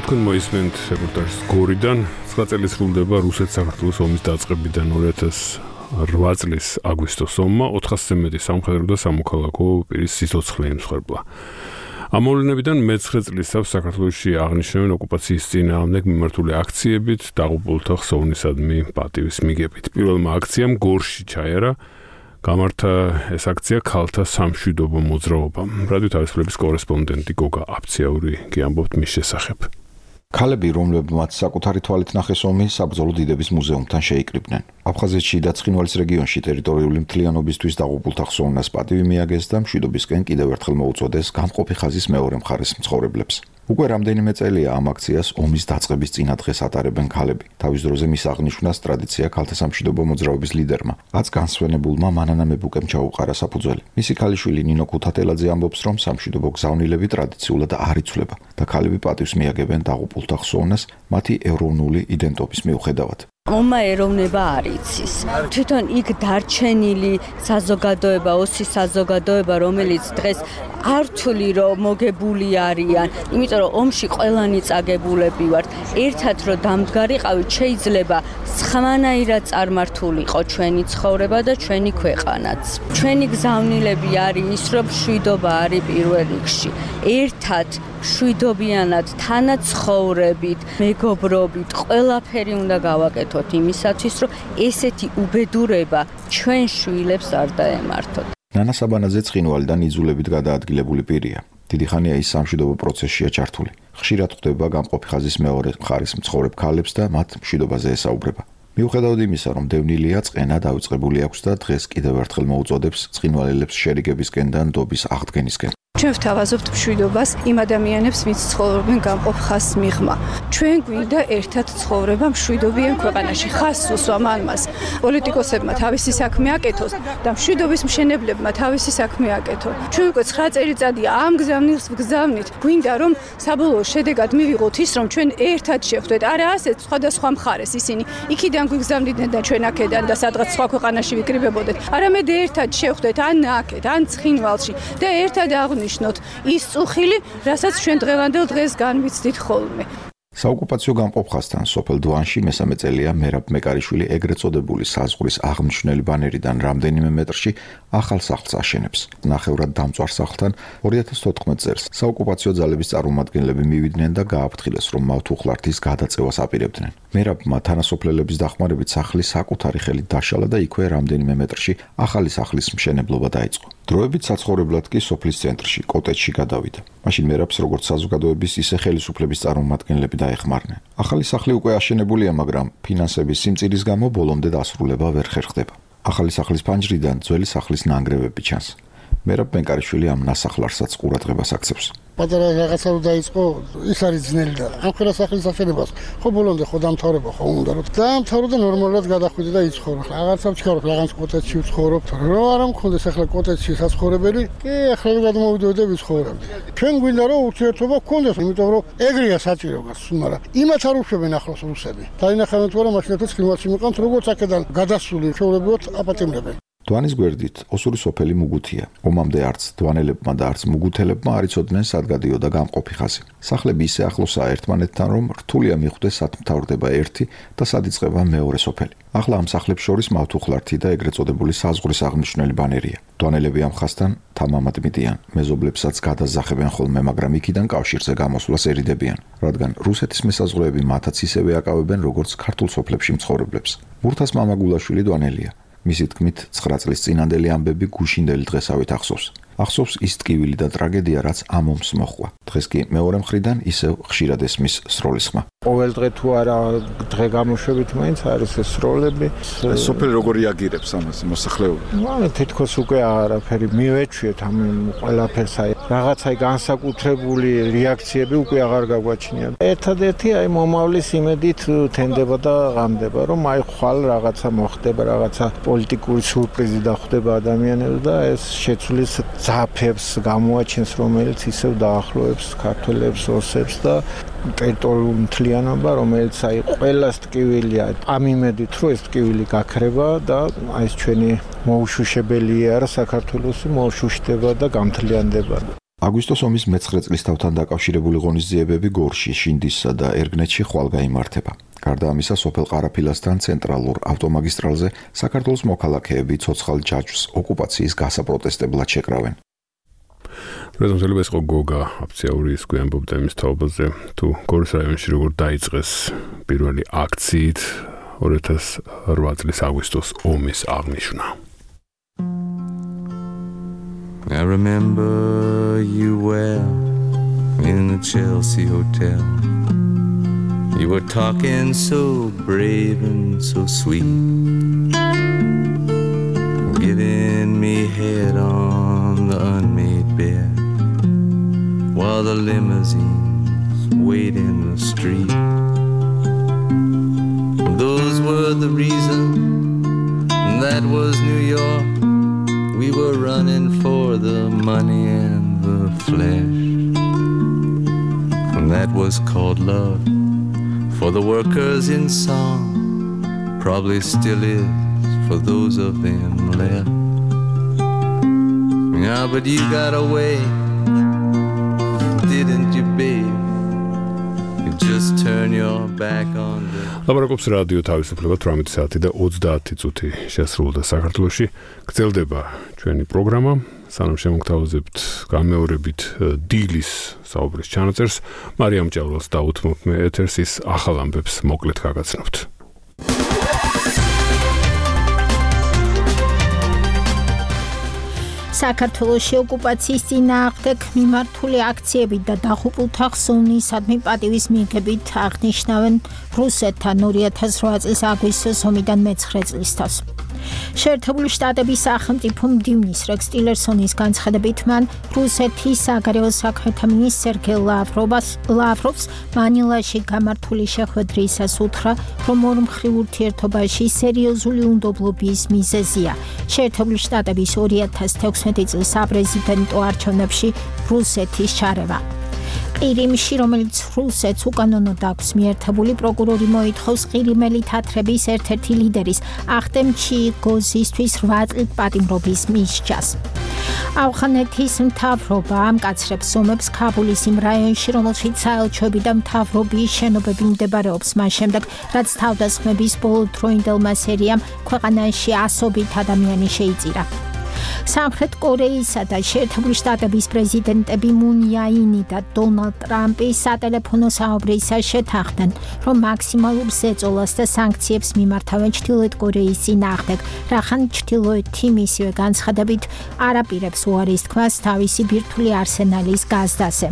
თქვენ მოისმენთ რეპორტაჟს გორიდან. 9 წელი სრულდება რუსეთ-საქართველოს ომის დაწყებიდან 2008 წლის აგვისტოს ომმა 400-ზე მეტი სამხედრო და სამოქალაქო პირის სიცოცხლე იმსხვერპლა. ამ მოვლენებიდან მე-9 წლისას საქართველოში აღნიშნავენ ოკუპაციის წინააღმდეგ მიმართული აქციებით დაღუპულთა ხსოვნისადმი პატივის მიგებით. პირველმა აქციამ გორში ჩაერა, გამართა ეს აქცია ქალთა სამშვიდობო მოძრაობამ. რადიო თავისუფლების კორესპონდენტი გოგა აფციაური გიამბობთ მის შესახებ. ქალები, რომლებმაც საკუთარი თვალით ნახეს ომი, საბრძოლო დიდების მუზეუმთან შეიკრიბნენ. აფხაზეთში და ცხინვალის რეგიონში ტერიტორიული მთლიანობისთვის დაღუპულთა ხსოვნას პატივი მიაგეს და მშვიდობისკენ კიდევ ერთხელ მოუწოდეს გამყოფი ხაზის მეორე მხარის მცხოვრებლებს. უკვე რამდენიმე წელია ამ აქციას ომის დაწყების წინადღეს ატარებენ ქალები. თავის დროზე მის აღნიშვნას ტრადიცია ქალთა სამშვიდობო მოძრაობის ლიდერმა, რაც განსვენებულმა მანანა მებუკემ ჩაუყარა საფუძველი. მისი ქალიშვილი ნინო ქუთათელაძე ამბობს, რომ სამშვიდობო გზავნილები ტრადიციულად არ იცვლება და ქალები პატივს მიაგებენ დაღუპულთა ხსოვნას მათი ეროვნული იდენტობის მიუხედავად. ომმა ეროვნება არ იცის. თვითონ იქ დარჩენილი საზოგადოება, ოსის საზოგადოება, რომელიც დღეს ართული რომ მოგებული არიან, იმიტომ რომ ომში ყველანი წაგებულები ვართ. ერთად რომ დამდგარიყავით, შეიძლება სხვანაირად წარმართულიყო ჩვენი ცხოვრება და ჩვენი ქვეყანაც. ჩვენი გზავნილები არის ის, რომ მშვიდობა არის პირველ რიგში. ერთად მშვიდობიანად, თანაცხოვრებით, მეგობრობით, ყველაფერი უნდა გავაკეთოთ იმისათვის, რომ ესეთი უბედურება ჩვენ შვილებს არ დაემართოთ. ნანა საბანაძე ცხინვალიდან იძულებით გადაადგილებული პირია. დიდი ხანია ის სამშვიდობო პროცესშია ჩართული. ხშირად ხვდება გამყოფი ხაზის მეორე მხარის მცხოვრებ ქალებს და მათ მშვიდობაზე ესაუბრება. მიუხედავად იმისა, რომ დევნილია წყენა დავიწყებული აქვს და დღეს კიდევ ერთხელ მოუწოდებს ცხინვალელებს შერიგებისკენ და ნდობის აღდგენისკენ. ჩვენ ვთავაზობთ მშვიდობას იმ ადამიანებს, ვინც ცხოვრობენ გამყოფ ხაზს მიღმა. ჩვენ გვინდა ერთად ცხოვრება მშვიდობიან ქვეყანაში. ხაზს უსვამ ამას. პოლიტიკოსებმა თავისი საქმე აკეთოს და მშვიდობის მშენებლებმა თავისი საქმე აკეთონ. ჩვენ უკვე 9 წელიწადია ამ გზავნილს ვგზავნით. გვინდა რომ საბოლოო შედეგად მივიღოთ ის, რომ ჩვენ ერთად შევხვდეთ. არა ასეთ სხვადასხვა მხარეს ისინი იქიდან გვიგზავნიდნენ და ჩვენ აქედან და სადღაც სხვა ქვეყანაში ვიკრიბებოდეთ. არამედ ერთად შევხვდეთ ან აქეთ, ან ცხინვალში და ერთად აღნიშნოთ ის წუხილი, რასაც ჩვენ დღევანდელ დღეს განვიცდით ხოლმე. საოკუპაციო გამყოფ ხაზთან სოფელ დვანში მესამე წელია მერაბ მეკარიშვილი ეგრეთ წოდებული საზღვრის აღმნიშვნელი ბანერიდან რამდენიმე მეტრში ახალ სახლს აშენებს. ნახევრად დამწვარ სახლთან 2014 წელს საოკუპაციო ძალების წარმომადგენლები მივიდნენ და გააფრთხილეს, რომ მავთუხლართის გადაწევას აპირებდნენ. მერაბმა თანასოფლელების დახმარებით სახლი საკუთარი ხელით დაშალა და იქვე რამდენიმე მეტრში ახალი სახლის მშენებლობა დაიწყო. დროებით საცხოვრებლად კი სოფლის ცენტრში, კოტეჯში გადავიდა. მაშინ მერაბს როგორც საზოგადოების, ისე ხელისუფლების წარმომადგენლები დაეხმარნენ. ახალი სახლი უკვე აშენებულია, მაგრამ ფინანსების სიმწირის გამო ბოლომდე დასრულება ვერ ხერხდება. ახალი სახლის ფანჯრიდან ძველი სახლის ნანგრევები ჩანს. მერაბ მეკარიშვილი ამ ნასახლარსაც ყურადღებას აქცევს. პატარა რაღაცა რომ დაიწყო, ის არის ძნელი და ამ ყველა სახლის აშენებას ხო ბოლომდე ხო დამთავრება ხო უნდა რომ დაამთავრო და ნორმალურად გადახვიდე და იცხოვრო. რაღაცა ვჩქარობ, რაღაც კოტეჯში ვცხოვრობ. რომ არ მქონდეს ახლა კოტეჯში საცხოვრებელი, კი ახლა რომ გადმოვიდოდი და ვიცხოვრებდი. ჩვენ გვინდა რომ ურთიერთობა გქონდეს, იმიტომ რომ ეგრეა საჭირო გას, მაგრამ იმათ არ უშვებენ ახლოს რუსები. დაინახავენ თუ არა მაშინათაც ხილვაში მიყავთ, როგორც აქედან გადასული ჩვეულებრივად აპატიმრებენ. დვანის გვერდით ოსური სოფელი მუგუთია. ომამდე არც დვანელებმა და არც მუგუთელებმა არ იცოდნენ სად გადიოდა გამყოფი ხაზი. სახლები ისე ახლოსაა ერთმანეთთან, რომ რთულია მიხვდეს სად მთავრდება ერთი და სად იწყება მეორე სოფელი. ახლა ამ სახლებს შორის მავთუხლართი და ეგრეთ წოდებული საზღვრის აღმნიშვნელი ბანერია. დვანელები ამ ხაზთან თამამად მიდიან, მეზობლებსაც გადაზახებენ ხოლმე, მაგრამ იქიდან კავშირზე გამოსვლას ერიდებიან, რადგან რუსეთის მესაზღვრეები მათაც ისევე აკავებენ, როგორც ქართულ სოფლებში მცხოვრებლებს. მურთას მამა გულაშვილი დვანელია. მისი თქმით 9 წლის წინანდელი ამბები გუშინდელი დღესავით ახსოვს. ახსოვს ის ტკივილი და ტრაგედია, რაც ამ ომს მოჰყვა. დღეს კი მეორე მხრიდან ისევ ხშირად ესმის სროლის ხმა. ყოველ დღე თუ არა დღე გამოშვებით მაინც არის ეს სროლები. სოფელი როგორ რეაგირებს ამას მოსახლეობა? ანუ თითქოს უკვე არაფერი მივეჩვიეთ ამ ყველაფერს, აი რაღაცა განსაკუთრებული რეაქციები უკვე აღარ გაგვაჩნია. ერთადერთი აი მომავლის იმედით თენდება და ღამდება, რომ აი ხვალ რაღაცა მოხდება, რაღაცა პოლიტიკური სურპრიზი დახვდება ადამიანებს და ეს შეცვლის ძაფებს გამოაჩენს, რომელიც ისევ დაახლოებს ქართველებს, ოსებს და ტერიტორიულ მთლიანობა, რომელიც აი ყველას ტკივილია ამ იმედით, რომ ეს ტკივილი გაქრება და აი ეს ჩვენი მოუშუშებელი არა საქართველოს მოუშუშდება და გამთლიანდება. აგვისტოს ომის მე-9 წლის თავთან დაკავშირებული ღონისძიებები გორში, შინდისსა და ერგნეთში ხვალ გაიმართება. გარდა ამისა, სოფელ ყარაფილასთან ცენტრალურ ავტომაგისტრალზე საქართველოს მოქალაქეები ცოცხალ ჯაჭვს ოკუპაციის გასაპროტესტებლად შეკრავენ. რეზონტელი ეს გოგა აფციაური ის გვიანბობდა იმის თაობაზე თუ გორის რაიონში როგორ დაიწყეს პირველი აქციით 2008 წლის აგვისტოს ომის აღნიშვნა. I remember you well in the Chelsea Hotel. You were talking so brave and so sweet, giving me head on the unmade bed while the limousines wait in the street. Those were the reasons, that was New York. We were running for the money and the flesh, and that was called love. For the workers in song, probably still is for those of them left. Yeah, but you got away, didn't you, babe? You just turn your back on the... ლაპარაკობს რადიო თავისუფლება 18 საათი და 30 წუთი შესრულდა საქართველოში. გრძელდება ჩვენი პროგრამა. სანამ შემოგთავაზებთ გამეორებით დილის საუბრის ჩანაწერს, მარიამ ჭავრულს დაუთმობ მე ეთერს ის ახალ ამბებს მოკლედ გაგაცნობთ. საქართველოში ოკუპაციის წინააღმდეგ მიმართული აქციები და დაღუპულთა ხსოვნისადმი პატივის მიღებით აღნიშნავენ რუსეთთან 2008 წლის აგვისტოს ომიდან მე-9 წლისთავს. შეერთებული შტატების სახელმწიფო მდივნის რეკს ტილერსონის განცხადებით მან რუსეთის საგარეო საქმეთა მინისტრ სერგეი ლავროვს მანილაში გამართული შეხვედრისას უთხრა, რომ ორმხრივ ურთიერთობაში სერიოზული უნდობლობის მიზეზია შეერთებული შტატების 2016 წლის საპრეზიდენტო არჩევნებში რუსეთის ჩარევა. ყირიმში, რომელიც რუსეთს უკანონოდ აქვს მიერთებული, პროკურორი მოითხოვს ყირიმელი თათრების ერთ-ერთი ლიდერის ახტემ ჩიგოზისთვის 8 წლით პატიმრობის მისჯას. ავღანეთის მთავრობა ამკაცრებს ომებს ქაბულის იმ რაიონში, რომელშიც საელჩოები და მთავრობის შენობები მდებარეობს მას შემდეგ, რაც თავდასხმების ბოლოდროინდელმა სერიამ ქვეყანაში ასობით ადამიანი შეიწირა. სამხრეთ კორეისა და შეერთებული შტატების პრეზიდენტები მუნ იაინი და დონალდ ტრამპი სატელეფონო საუბრისას შეთანხმდნენ, რომ მაქსიმალურ ზეწოლას და სანქციებს მიმართავენ ჩრდილოეთ კორეის წინააღმდეგ, რახან ჩრდილოეთი მისივე განცხადებით არ აპირებს უარის თქმას თავისი ბირთვული არსენალის გაზდაზე.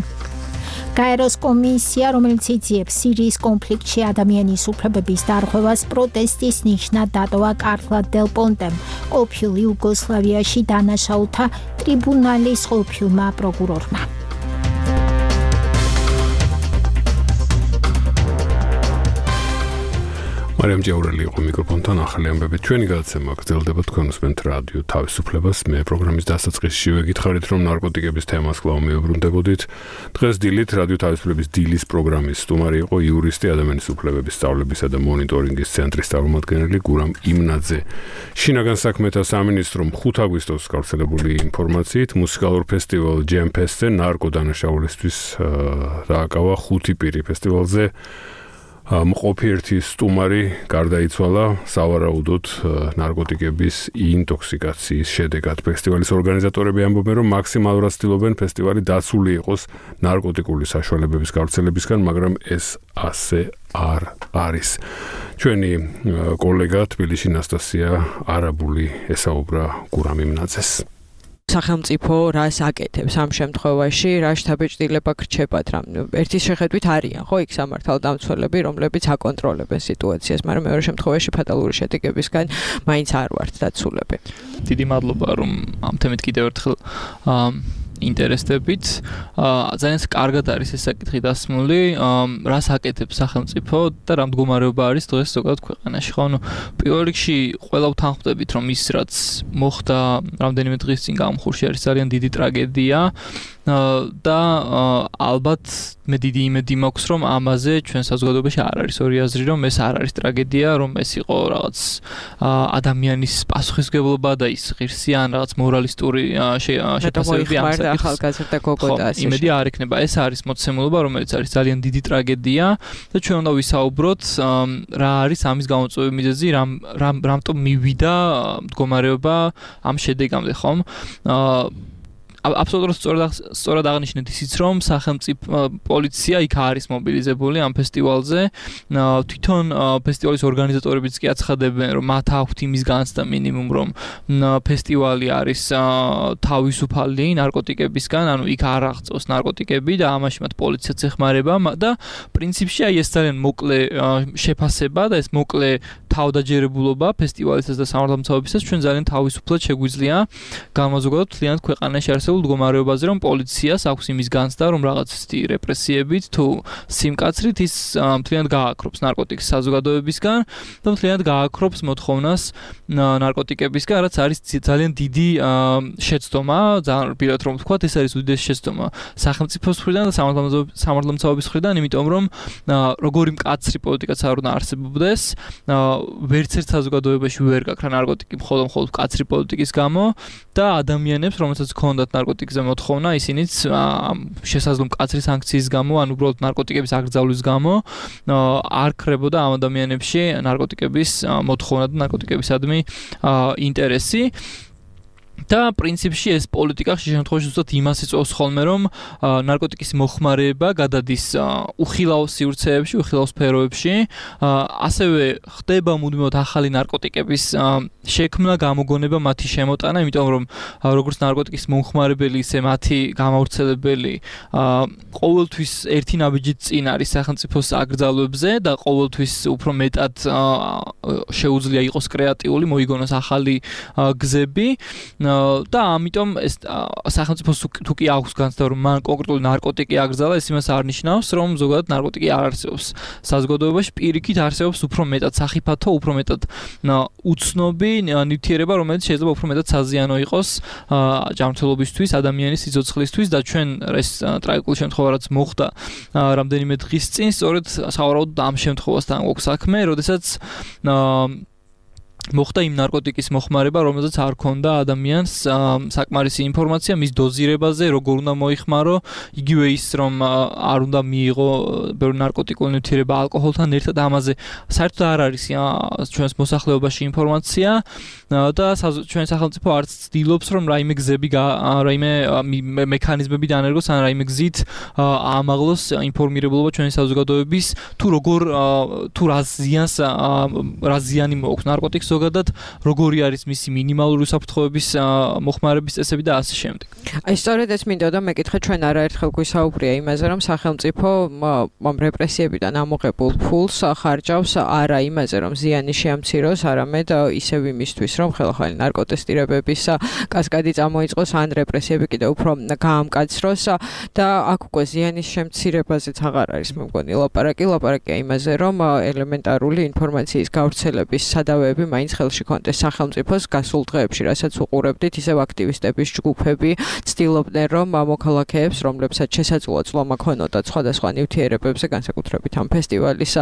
გაეროს კომისია, რომელიც იძიებს სირიის კონფლიქტში ადამიანის უფლებების დარღვევას, პროტესტის ნიშნად დატოვა კარლა დელ პონტემ, ყოფილ იუგოსლავიაში დანაშაულთა ტრიბუნალის ყოფილმა პროკურორმა. მარიამ ჭაურელი იყო მიკროფონთან ახალი ამბებით. ჩვენი გადაცემა გრძელდება, თქვენ უსმენთ რადიო თავისუფლებას. მე პროგრამის დასაწყისში ვეკითხარით, რომ ნარკოტიკების თემას კვლავ მეუბრუნდებოდით. დღეს დილით რადიო თავისუფლების დილის პროგრამის სტუმარი იყო იურისტი, ადამიანის უფლებების სწავლებისა და მონიტორინგის ცენტრის წარმომადგენელი გურამ იმნაძე. შინაგან საქმეთა სამინისტრომ 5 აგვისტოს გავრცელებული ინფორმაციით მუსიკალურ ფესტივალ Jam Fest-ზე ნარკოდანაშაულისთვის დააკავა 5 პირი ფესტივალზე. მყოფი ერთი სტუმარი გარდაიცვალა სავარაუდოდ ნარკოტიკების ინტოქსიკაციის შედეგად. ფესტივალის ორგანიზატორები ამბობენ, რომ მაქსიმალურად ცდილობენ ფესტივალი დაცული იყოს ნარკოტიკული საშუალებების გავრცელებისგან, მაგრამ ეს ასე არ არის. ჩვენი კოლეგა თბილისში ნასტასია არაბული ესაუბრა გურამ იმნაძეს. სახელმწიფო რას აკეთებს ამ შემთხვევაში, რა შთაბეჭდილება გრჩებათ, რამ ერთის შეხედვით არიან, ხო, იქ სამართალდამცველები, რომლებიც აკონტროლებენ სიტუაციას, მაგრამ მეორე შემთხვევაში ფატალური შედეგებისგან მაინც არ ვართ დაცულები. დიდი მადლობა, რომ ამ თემით კიდევ ერთხელ ინტერესდებით. ძალიან კარგად არის ეს საკითხი დასმული, რას აკეთებს სახელმწიფო და რა მდგომარეობა არის დღეს ზოგადად ქვეყანაში. ხო, პირველ რიგში ყველა ვთანხმდებით, რომ ის რაც მოხდა რამდენიმე დღის წინ გამხურში არის ძალიან დიდი ტრაგედია და ალბათ მე დიდი იმედი მაქვს, რომ ამაზე ჩვენ საზოგადოებაში არ არის ორი აზრი, რომ ეს არ არის ტრაგედია, რომ ეს იყო რაღაც ადამიანის პასუხისმგებლობა და ის ღირსი ან რაღაც მორალისტური შეფასებები ამ ახალგაზრდა გოგოტას. იმედი არ იქნება, ეს არის მოცემულობა, რომელიც არის ძალიან დიდი ტრაგედია და ჩვენ უნდა ვისაუბროთ რა არის ამის გამოწვევი მიზეზი, რამტომ მივიდა მდგომარეობა ამ შედეგამდე, ხომ? აბსოლუტურად სწორად აღნიშნეთ ისიც, რომ სახელმწიფო პოლიცია იქ არის მობილიზებული ამ ფესტივალზე. თვითონ ფესტივალის ორგანიზატორებიც კი აცხადებენ, რომ მათ აქვთ იმის განცდა მინიმუმ, რომ ფესტივალი არის თავისუფალი ნარკოტიკებისგან, ანუ იქ არ აღწევს ნარკოტიკები და ამაში მათ პოლიციაც ეხმარება და პრინციპში აი ეს ძალიან მოკლე შეფასება და ეს მოკლე თავდაჯერებულობა ფესტივალისას და სამართალმცავებისას ჩვენ ძალიან თავისუფლად შეგვიძლია გამოზოგადოთ მთლიანად ქვეყანაში არსებულ მდგომარეობაზე, რომ პოლიციას აქვს იმის განცდა, რომ რაღაც რეპრესიებით თუ სიმკაცრით ის მთლიანად გააკრობს ნარკოტიკის საზოგადოებისგან და მთლიანად გააკრობს მოთხოვნას ნარკოტიკებისგან, რაც არის ძალიან დიდი შეცდომა, ძალიან რბილად რომ ვთქვათ, ეს არის უდიდესი შეცდომა სახელმწიფოს მხრიდან და სამართალმცავების მხრიდან, იმიტომ რომ როგორი მკაცრი პოლიტიკაც არ უნდა არსებობდეს, ვერც ერთ საზოგადოებაში ვერ გაქვს ნარკოტიკი მხოლოდ მკაცრი პოლიტიკის გამო და ადამიანებს, რომელსაც ჰქონდათ ნარკოტიკზე მოთხოვნა, ისინიც შესაძლო მკაცრი სანქციის გამო, ან უბრალოდ ნარკოტიკების აკრძალვის გამო არ ქრებოდა ამ ადამიანებში ნარკოტიკების მოთხოვნა და ნარკოტიკებისადმი ინტერესი. და პრინციპში ეს პოლიტიკა ხშირ შემთხვევაში ზუსტად იმას იწვევს ხოლმე, რომ ნარკოტიკის მოხმარება გადადის უხილავ სივრცეებში, უხილავ სფეროებში, ასევე ხდება მუდმივად ახალი ნარკოტიკების შექმნა, გამოგონება, მათი შემოტანა, იმიტომ რომ როგორც ნარკოტიკის მომხმარებელი, ისე მათი გამავრცელებელი ყოველთვის ერთი ნაბიჯით წინ არის სახელმწიფოს აკრძალვებზე და ყოველთვის უფრო მეტად შეუძლია იყოს კრეატიული, მოიგონოს ახალი გზები. და ამიტომ ეს სახელმწიფოს თუ კი აქვს განცდა, რომ მან კონკრეტული ნარკოტიკი აკრძალა, ეს იმას არ ნიშნავს, რომ ზოგადად ნარკოტიკი არ არსებობს საზოგადოებაში, პირიქით არსებობს უფრო მეტად სახიფათო, უფრო მეტად უცნობი ნივთიერება, რომელიც შეიძლება უფრო მეტად საზიანო იყოს ჯანმრთელობისთვის, ადამიანის სიცოცხლისთვის და ჩვენ ეს ტრაგიკული შემთხვევა რაც მოხდა რამდენიმე დღის წინ, სწორედ სავარაუდოდ ამ შემთხვევასთან გვაქვს საქმე, როდესაც მოხდა იმ ნარკოტიკის მოხმარება, რომელზეც არ ქონდა ადამიანს საკმარისი ინფორმაცია მის დოზირებაზე, როგორ უნდა მოიხმარო, იგივე ის, რომ არ უნდა მიიღო ბევრი ნარკოტიკული ნივთიერება ალკოჰოლთან ერთად, ამაზე საერთოდ არ არის ჩვენს მოსახლეობაში ინფორმაცია და ჩვენ სახელმწიფო არც ცდილობს, რომ რაიმე გზები, რაიმე მექანიზმები დაანერგოს, ან რაიმე გზით აამაღლოს ინფორმირებულობა ჩვენი საზოგადოების, თუ როგორ თუ რა ზიანი მოაქვს ნარკოტიკს ზოგადად, როგორი არის მისი მინიმალური უსაფრთხოების მოხმარების წესები და ასე შემდეგ. აი სწორედ ეს მინდოდა მეკითხე, ჩვენ არაერთხელ გვისაუბრია იმაზე, რომ სახელმწიფო რეპრესიებიდან ამოღებულ ფულს ხარჯავს არა იმაზე, რომ ზიანი შეამციროს, არამედ ისევ იმისთვის, რომ ხელახალი ნარკოტესტირებების კასკადი წამოიწყოს, ან რეპრესიები კიდევ უფრო გაამკაცროს და აქ უკვე ზიანის შემცირებაზეც აღარ არის მე მგონი ლაპარაკია იმაზე, რომ ელემენტარული ინფორმაციის გავრცელების სადავეები მაინც ხელში კონდეს სახელმწიფოს გასულ დღეებში, რასაც უყურებდით, ისევ აქტივისტების ჯგუფები ცდილობდნენ, რომ მოქალაქეებს, რომლებსაც შესაძლოა წლომა ქონოდათ სხვადასხვა ნივთიერებებზე, განსაკუთრებით ამ ფესტივალის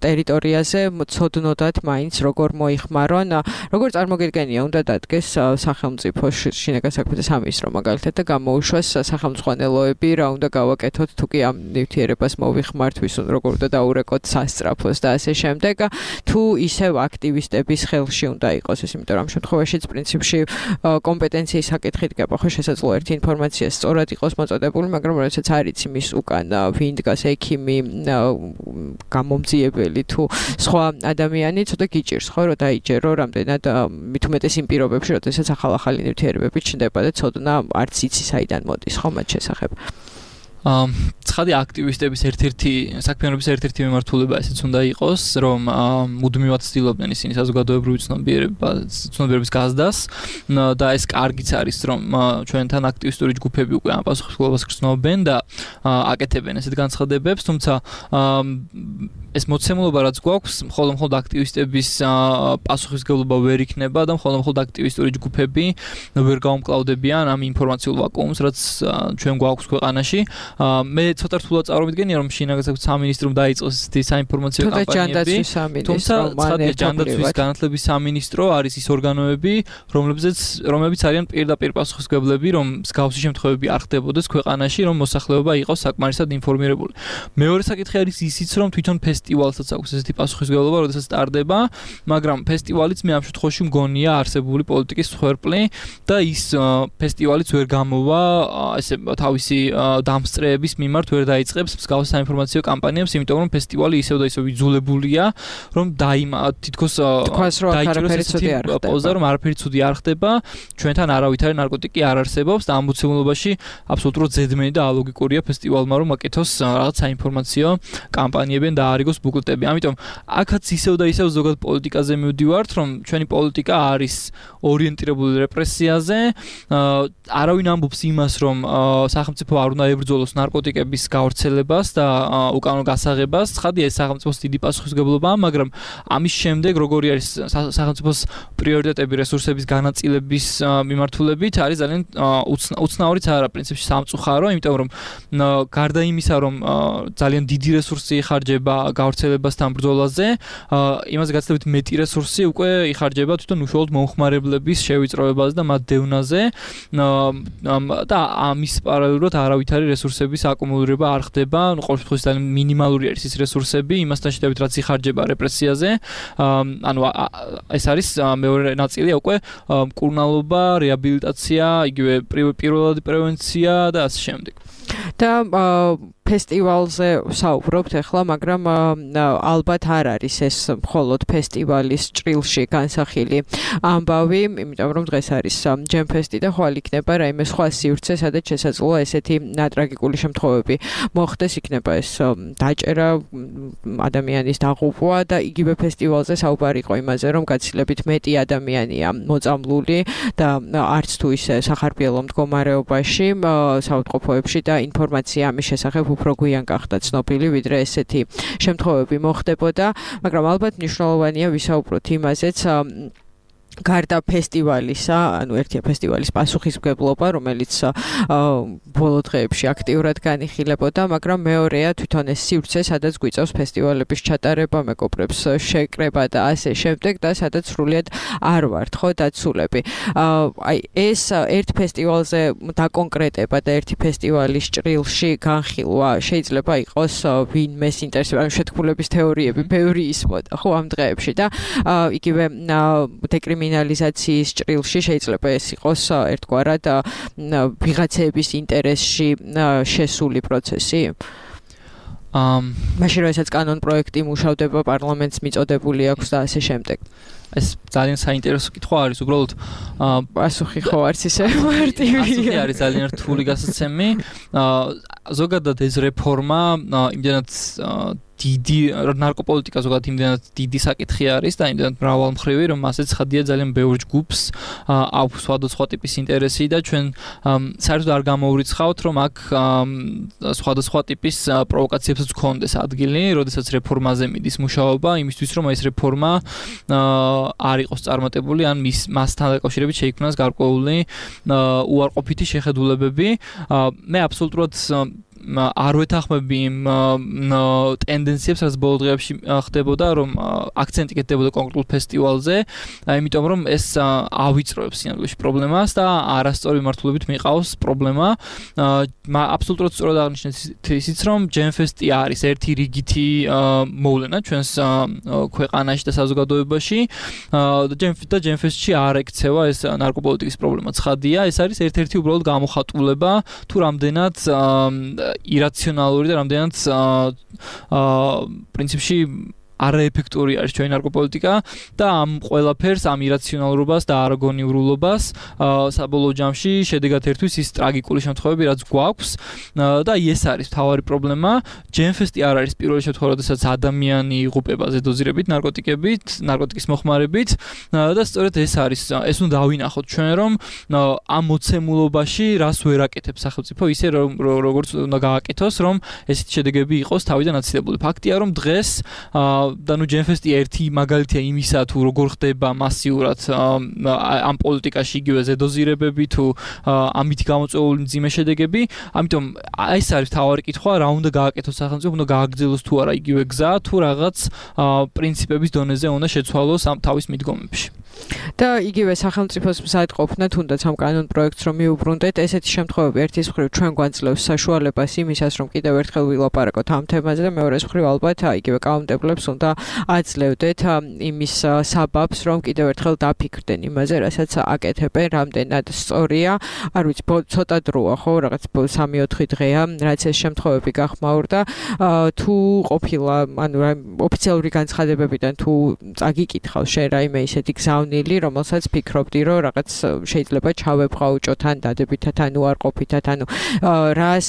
ტერიტორიაზე, ცოდნოდათ მაინც როგორ მოიხმარონ, როგორ წარმოგიდგენია, უნდა დადგეს სახელმწიფოს შინაგან საქმეთა სამინისტრო მაგალითად და გამოუშვას სახელმწიფოელოები, რა უნდა გავაკეთოთ, თუ კი ამ ნივთიერებას მოვიხმართ, როგორ უნდა დაურეკოთ სასწრაფოს და ასე შემდეგ, თუ ისევ აქტივისტების ხელში უნდა იყოს ეს, იმიტომ რომ ამ შემთხვევაშიც პრინციპში კომპეტენციის საკითხით გაბახო შესაძლოა ერთი ინფორმაცია სწორად იყოს მოწოდებული, მაგრამ როდესაც არ იცი მის უკან ვინ დგას, ექიმი, გამომძიებელი თუ სხვა ადამიანი, ცოტა გიჭირს ხო, რომ დაიჯერო რამდენად მით უმეტეს იმ პირობებში, როდესაც ახალ-ახალი ნივთიერებები ჩნდება და ცოდნა არც იცი საიდან მოდის ხო მათ შესახებ. ცხადი აქტივისტების ერთ-ერთი საქმიანობის ერთ-ერთი მიმართულება ესეც უნდა იყოს, რომ მუდმივად ცდილობდნენ ისინი საზოგადოებრივი ცნობიერების გაზრდას და ეს კარგიც არის, რომ ჩვენთან აქტივისტური ჯგუფები უკვე ამ პასუხისმგებლობას გრძნობენ და აკეთებენ ესეთ განცხადებებს, თუმცა ეს მოცემულობა რაც გვაქვს, მხოლოდ აქტივისტების პასუხისმგებლობა ვერ იქნება და მხოლოდ აქტივისტური ჯგუფები ვერ გაუმკლავდებიან ამ ინფორმაციულ ვაკუუმს, რაც ჩვენ გვაქვს ქვეყანაში. მე ცოტა რთულად წარმოვიდგენია რომ შინაგან სამინისტრომ დაიწყოს ეს საინფორმაციო კამპანიები. თუმცა ცხადია ჯანდაცვის განათლების სამინისტრო არის ის ორგანოები, რომლებიც არიან პირდაპირ პასუხისმგებლები, რომ მსგავსი შემთხვევები არ ხდებოდეს ქვეყანაში, რომ მოსახლეობა იყოს საკმარისად ინფორმირებული. მეორე საკითხი არის ისიც, რომ თვითონ ფესტივალსაც აქვს ესეთი პასუხისმგებლობა, როდესაც სტარდება, მაგრამ ფესტივალიც მე ამ შემთხვევაში მგონია არსებული პოლიტიკის მსხვერპლი და ის ფესტივალიც ვერ გამოვა ესე თავისი დამსწრეების მიმართ ვერ დაიწყებს მსგავს საინფორმაციო კამპანიებს, იმიტომ რომ ფესტივალი ისევ და ისევ იძულებულია, რომ თითქოს დაიჭიროს ესეთი პოზა, რომ არაფერი ცუდი არ ხდება, ჩვენთან არავითარი ნარკოტიკი არ არსებობს და ამ მოცემულობაში აბსოლუტურად ზედმენი და ალოგიკურია ფესტივალმა რომ აკეთოს რაღაც საინფორმაციო კამპანიებიდან დაარიგოს ბუკლეტები. ამიტომ აქაც ისევ და ისევ ზოგადად პოლიტიკაზე მივდივართ, რომ ჩვენი პოლიტიკა არის ორიენტირებული რეპრესიაზე, არავინ ამბობს იმას, რომ სახელმწიფო არ უნდა ებრძოლოს ნარკოტიკების გავრცელებას და უკანონო გასაღებას. ცხადია, ეს სახელმწიფოს დიდი პასუხისმგებლობაა, მაგრამ ამის შემდეგ როგორი არის სახელმწიფოს პრიორიტეტები რესურსების განაწილების მიმართულებით არის ძალიან უცნაურიც არა პრინციპში სამწუხარო, იმიტომ რომ გარდა იმისა, რომ ძალიან დიდი რესურსი იხარჯება გავრცელებასთან ბრძოლაზე, იმაზე გაცილებით მეტი რესურსი უკვე იხარჯება თვითონ უშუალოდ მომხმარებლების შევიწროებაზე და მათ დევნაზე და ამის პარალელურად არავითარი რესურსების აკუმულირება არ ხდება, ყოველ შემთხვევაში ძალიან მინიმალური არის ის რესურსები იმასთან შედარებით რაც იხარჯება რეპრესიაზე. ანუ ეს არის მეორე ნაწილია უკვე მკურნალობა, რეაბილიტაცია, იგივე პირველადი პრევენცია და ასე შემდეგ. და ფესტივალზე საუბრობთ ახლა, მაგრამ ალბათ არ არის ეს მხოლოდ ფესტივალის ჭრილში განსახილი ამბავი, იმიტომ რომ დღეს არის ჯემფესტი და ხვალ იქნება რაიმე სხვა სივრცე, სადაც შესაძლოა ესეთი ტრაგიკული შემთხვევები მოხდეს, იქნება ეს დაჭერა, ადამიანის დაღუპვა და იგივე ფესტივალზე საუბარი იყო იმაზე, რომ გაცილებით მეტი ადამიანია მოწამლული და არც თუ ისე სახარბიელო მდგომარეობაში, საავადმყოფოებში და ინფორმაცია ამის შესახებ უფრო გვიან გახდა ცნობილი, ვიდრე ესეთი შემთხვევები მოხდებოდა, მაგრამ ალბათ მნიშვნელოვანია ვისაუბროთ იმაზეც, გარდა ფესტივალისა, ანუ ერთია ფესტივალის პასუხისმგებლობა, რომელიც ბოლო დღეებში აქტიურად განიხილებოდა, მაგრამ მეორეა თვითონ ეს სივრცე, სადაც გვიწევს ფესტივალების ჩატარება, მეგობრებს შეკრება და ასე შემდეგ და სადაც სრულიად არ ვართ, ხო, დაცულები. აი ეს ერთ ფესტივალზე დაკონკრეტება და ერთი ფესტივალის ჭრილში განხილვა შეიძლება იყოს ვინმეს ინტერესებს, ანუ შეთქმულების თეორიები ბევრი ისმოდა, ხო, ამ დღეებში და იგივე კრიმინალიზაციის ჭრილში შეიძლება ეს იყოს ერთგვარად ვიღაცების ინტერესში შესული პროცესი. მაშინ როდესაც კანონ პროექტი მუშავდება, პარლამენტს მიწოდებული აქვს და ასე შემდეგ. ეს ძალიან საინტერესო კითხვა არის, უბრალოდ პასუხი ხო არც ისე მარტივია. პასუხი არის ძალიან რთული გასაცემი. ზოგადად ეს რეფორმა იმდენად დიდი ნარკოპოლიტიკა ზოგადად იმდენად დიდი საკითხი არის და იმდენად მრავალმხრივი, რომ მასეც ხადია ძალიან ბევრ ჯგუფს აქვს სხვადასხვა ტიპის ინტერესი და ჩვენ საერთოდ არ გამოვრიცხავთ, რომ აქ სხვადასხვა ტიპის პროვოკაციებსაც გქონდეს ადგილი, როდესაც რეფორმაზე მიდის მუშაობა, იმისთვის რომ ეს რეფორმა არ იყოს წარმატებული, ან მასთან დაკავშირებით შეიქმნას გარკვეული უარყოფითი შეხედულებები. მე აბსოლუტურად არ ვეთანხმები იმ ტენდენციებს, რაც ბოლო დღეებში ხდებოდა, რომ აქცენტი კეთდებოდა კონკრეტულ ფესტივალზე, იმიტომ რომ ეს ავიწროებს სინამდვილეში პრობლემას და არასწორი მიმართულებით მიყავს პრობლემა. აბსოლუტურად სწორად აღნიშნეთ ისიც, რომ ჯემფესტი არის ერთი რიგითი მოვლენა ჩვენს ქვეყანაში და საზოგადოებაში და ჯემფესტში არ ექცევა ეს ნარკოპოლიტიკის პრობლემა. ცხადია, ეს არის ერთ-ერთი უბრალოდ გამოხატულება თუ რამდენად ირაციონალური და რამდენად პრინციპში არაეფექტური არის ჩვენი ნარკოპოლიტიკა და ამ ყველაფერს, ამ ირაციონალურობას და არაგონიურულობას საბოლოო ჯამში შედეგად ერთვის ის ტრაგიკული შემთხვევები, რაც გვაქვს და ეს არის მთავარი პრობლემა. ჯემფესტი არ არის პირველი შემთხვევა, როდესაც ადამიანი იღუპება ზედოზირებით ნარკოტიკის მოხმარებით და სწორედ ეს არის, ეს უნდა დავინახოთ ჩვენ, რომ ამ მოცემულობაში რას ვერ აკეთებს სახელმწიფო, ისე როგორც უნდა გააკეთოს, რომ ესეთი შედეგები იყოს თავიდან აცილებული. ფაქტია, რომ დღეს და ნუ ჯემფესტი ერთი მაგალითია იმისა თუ როგორ ხდება მასიურად ამ პოლიტიკაში იგივე ზედოზირებები თუ ამით გამოწვეული მძიმე შედეგები, ამიტომ ეს არის თავარი კითხვა, რა უნდა გააკეთოს სახელმწიფო, უნდა გააგრძელოს თუ არა იგივე გზა, თუ რაღაც პრინციპების დონეზე უნდა შეცვალოს ამ თავის მიდგომებში. და იგივე სახელმწიფოს მზად ყოფნა თუნდაც ამ კანონ პროექტს რომ მიუბრუნდეთ, ესეთი შემთხვევები ერთის მხრივ ჩვენ გვანძლევს საშუალებას იმისას, რომ კიდევ ერთხელ ვილაპარაკოთ ამ თემაზე და მეორეს მხრივ ალბათ იგივე კანონმდებლებს უნდა აძლევდეთ იმის საბაბს, რომ კიდევ ერთხელ დაფიქრდნენ იმაზე, რასაც აკეთებენ, რამდენად სწორია. არ ვიცი, ცოტა დროა, ხო, რაღაც 3-4 დღეა, რაც ეს შემთხვევები გახმაურდა, თუ ყოფილა, ანუ ოფიციალური განცხადებებიდან თუ წაგიკითხავს შენ რაიმე ისეთი გზავნილი, რომელსაც ფიქრობდი, რომ რაღაც შეიძლება ჩავებღაუჭოთ ან დადებითად, ან უარყოფითად, ანუ რას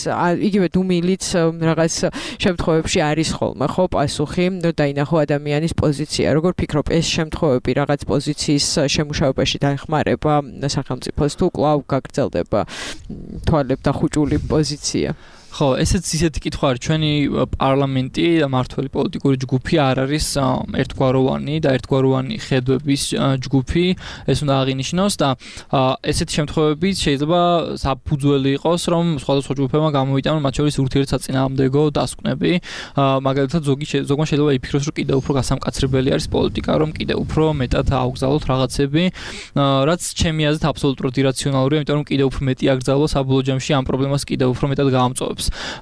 იგივე დუმილიც რაღაც შემთხვევებში არის ხოლმე, ხო, პასუხი, დაინახო ადამიანის პოზიცია. როგორ ფიქრობ, ეს შემთხვევები რაღაც პოზიციის შემუშავებაში დაეხმარება სახელმწიფოს თუ კვლავ გაგრძელდება თვალებდახუჭული პოზიცია? ხო, ესეც ისეთი კითხვა არის, ჩვენი პარლამენტი და მართველი პოლიტიკური ჯგუფი არ არის ერთგვაროვანი და ერთგვაროვანი ხედვების ჯგუფი, ეს უნდა აღინიშნოს და ესეთი შემთხვევები შეიძლება საფუძველი იყოს, რომ სხვადასხვა ჯგუფებმა გამოვიტანონ მათ შორის ურთიერთსაწინააღმდეგო დასკვნები, მაგალითად ზოგმა შეიძლება იფიქროს, რომ კიდევ უფრო გასამკაცრებელი არის პოლიტიკა, რომ კიდევ უფრო მეტად აუგზავნოთ რაღაცები, რაც ჩემი აზრით აბსოლუტურად ირაციონალურია, იმიტომ რომ კიდევ უფრო მეტი აკრძალვა საბოლოო ჯამში ამ პრობლემას კიდევ უფრო მეტად გაამწვავებს.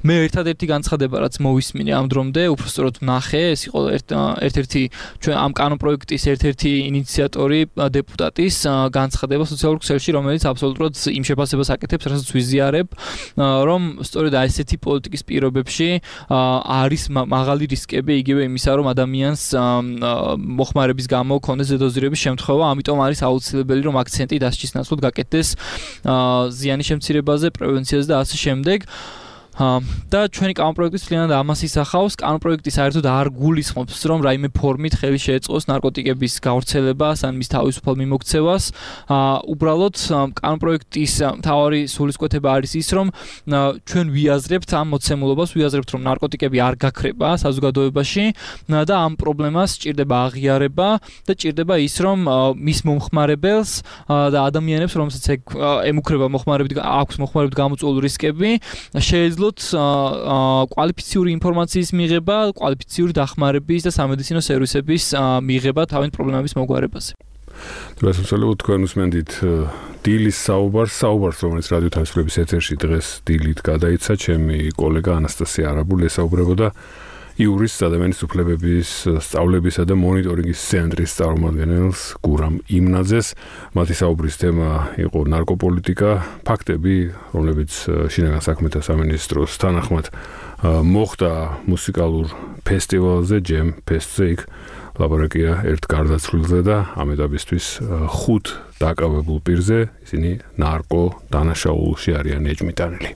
მე ერთადერთი განცხადება, რაც მოვისმინე ამ დრომდე, უბრალოდ ვნახე, ეს იყო ერთ-ერთი ჩვენ ამ კანონპროექტის ერთ-ერთი ინიციატორი დეპუტატის განცხადება სოციალურ ქსელში, რომელიც აბსოლუტურად იმ შეფასებას აკეთებს, რასაც ვიზიარებ, რომ სწორედ ესეთი პოლიტიკის პირობებში არის მაღალი რისკები იგივე იმისა, რომ ადამიანს მოხმარების გამო ქონდეს ზედოზირების შემთხვევა, ამიტომ არის აუცილებელი, რომ აქცენტი დასჯის ნაცვლად გაკეთდეს ზიანის შემცირებაზე, პრევენციაზე და ასე შემდეგ. და ჩვენი კანონპროექტის მთლიანად ამას ისახავს. კანონპროექტი საერთოდ არ გულისხმობს, რომ რაიმე ფორმით ხელი შეეწყოს ნარკოტიკების გავრცელებას ან მის თავისუფალ მიმოქცევას. უბრალოდ კანონპროექტის მთავარი სულისკვეთება არის ის, რომ ჩვენ ვიაზრებთ ამ მოცემულობას, ვიაზრებთ, რომ ნარკოტიკები არ გაქრება საზოგადოებაში და ამ პრობლემას სჭირდება აღიარება და სჭირდება ის, რომ მის მომხმარებელს და ადამიანებს, რომელსაც ემუქრება მოხმარებით, აქვს მოხმარებით გამოწვეული რისკები, შეეძლოთ კვალიფიციური ინფორმაციის მიღება, კვალიფიციური დახმარების და სამედიცინო სერვისების მიღება თავის პრობლემების მოგვარებაზე. დროშებსალო თქვენ უსმენთ დილის საუბარს, რომელიც რადიო თავისუფლების ეთერში დღეს დილით გადაიცა, ჩემი კოლეგა ანასტასია არაბული ესაუბრებოდა იურის ადამიანის უფლებების სწავლებისა და მონიტორინგის ცენტრის წარმომადგენელს გურამ იმნაძეს. მათი საუბრის თემა იყო ნარკოპოლიტიკა, ფაქტები, რომლებიც შინაგან საქმეთა სამინისტროს თანახმად მოხდა მუსიკალურ ფესტივალზე, ჯემ ფესტზე, იქ ლაბორატორია ერთ გარდაცვლილზე და ამ ეტაპისთვის 5 დაკავებულ პირზე, ისინი ნარკო დანაშაულში არიან ეჭმიტანილი.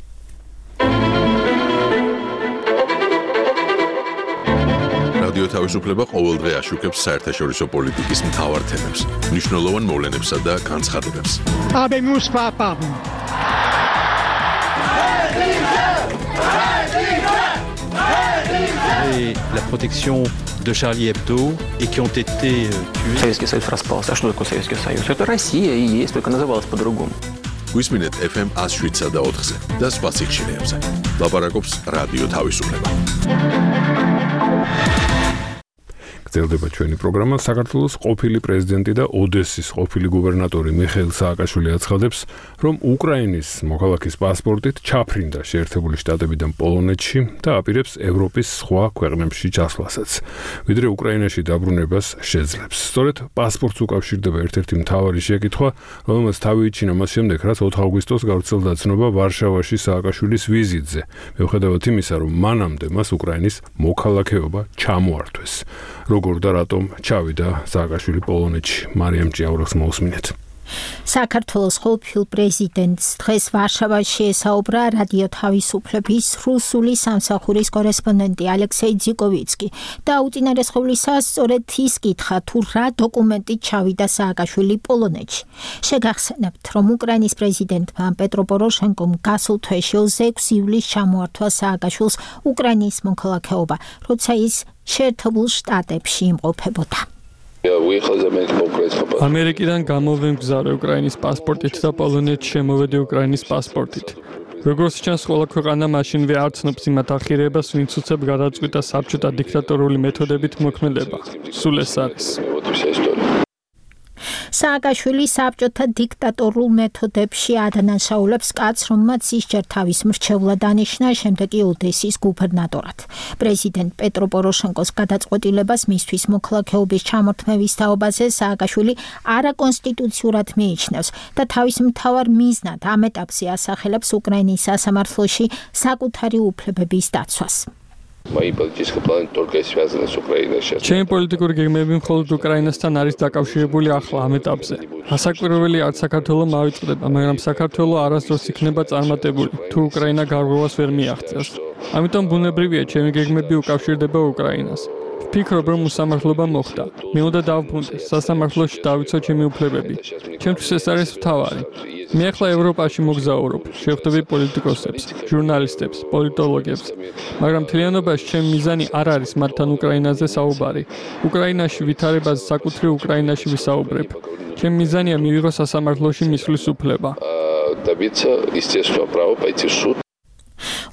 რადიო თავისუფლება ყოველდღე აშუქებს საერთაშორისო პოლიტიკის მთავარ თემებს, მნიშვნელოვან მოვლენებსა და განცხადებებს. Habemus papam. Et la protection de Charlie Hebdo et qui ont été tués. Советский Союз распался. А что такое Советский Союз? Это Россия и есть, только называлась по-другому. Висминет FM 107 და 4-ზე და სხვა სიხშირეებზე. ლაპარაკობს რადიო თავისუფლება. გრძელდება ჩვენი პროგრამა. საქართველოს ყოფილი პრეზიდენტი და ოდესის ყოფილი გუბერნატორი მიხეილ სააკაშვილი აცხადებს, რომ უკრაინის მოქალაქის პასპორტით ჩაფრინდა შეერთებული შტატებიდან პოლონეთში და აპირებს ევროპის სხვა ქვეყნებში ჩასვლასაც, ვიდრე უკრაინაში დაბრუნებას შეძლებს. სწორედ პასპორტს უკავშირდება ერთ-ერთი მთავარი შეკითხვა, რომელმაც თავი იჩინა მას შემდეგ, რაც 4 აგვისტოს გავრცელდა ცნობა ვარშავაში სააკაშვილის ვიზიტზე, მიუხედავად იმისა, რომ მანამდე მას უკრაინის მოქალაქეობა ჩამოართვეს. როგორ და რატომ ჩავიდა სააკაშვილი პოლონეთში? მარიამ ჭიაურახს მოусმინეთ. საქართველოს ყოველფილ პრეზიდენტს დღეს ვარშავაში ესაუბრა რადიო თავისუფლების რუსული სამსახურის კორესპონდენტი ალექსეი ძიკოვიცკი და უწინარესხევლისა სწორედ ის კითხა თუ რა დოკუმენტით ჩავიდა სააკაშვილი პოლონეთში. შეგახსენებთ, რომ უკრაინის პრეზიდენტმა პეტრო პოროშენკომ გასულ თვეში 26 ივლისს ჩამოართვა სააკაშვილს უკრაინის მოქალაქეობა, როცა ის შეერთებულ შტატებში იმყოფებოდა. ამერიკიდან გამოვემგზავრე უკრაინის პასპორტით და პოლონეთში შემოვედი უკრაინის პასპორტით. როგორც ჩანს, ყველა ქვეყანა მაშინვე არ ცნობს იმათ ახირებას, ვინც უცებ გადაწყვიტა საბჭოთა დიქტატორული მეთოდებით მოქმედება. სულ ეს არის. სააკაშვილი საბჭოთა დიქტატორულ მეთოდებში ადანაშაულებს კაცს, რომელმაც ისჯერ თავის მრჩევლად დანიშნა, შემდეგ კი ოდესის გუბერნატორად. პრეზიდენტ პეტრო პოროშენკოს გადაწყვეტილებას მისთვის მოქალაქეობის ჩამორთმევის თაობაზე სააკაშვილი არაკონსტიტუციურად მიიჩნევს და თავის მთავარ მიზნად ამ ეტაპზე ასახელებს უკრაინის სასამართლოში საკუთარი უფლებების დაცვას. ჩემი პოლიტიკური გეგმები მხოლოდ უკრაინასთან არის დაკავშირებული ახლა ამ ეტაპზე. ასაკვირველი არც საქართველო მავიწყდება, მაგრამ საქართველო არასდროს იქნება წარმატებული, თუ უკრაინა გარღვევას ვერ მიაღწევს. ამიტომ ბუნებრივია ჩემი გეგმები უკავშირდება უკრაინას. ვფიქრობ, რომ უსამართლობა მოხდა. მე უნდა დავბრუნდეს, სასამართლოში დავიცვა ჩემი უფლებები. ჩემთვის ეს არის მთავარი. მე ახლა ევროპაში მოგზაურობ, შევხვდები პოლიტიკოსებს, ჟურნალისტებს, პოლიტოლოგებს, მაგრამ მთლიანობაში ჩემი მიზანი არ არის მათთან უკრაინაზე საუბარი. უკრაინაში ვითარებაზე საკუთრივ უკრაინაში ვისაუბრებ. ჩემი მიზანია მივიღო სასამართლოში მისვლის უფლება.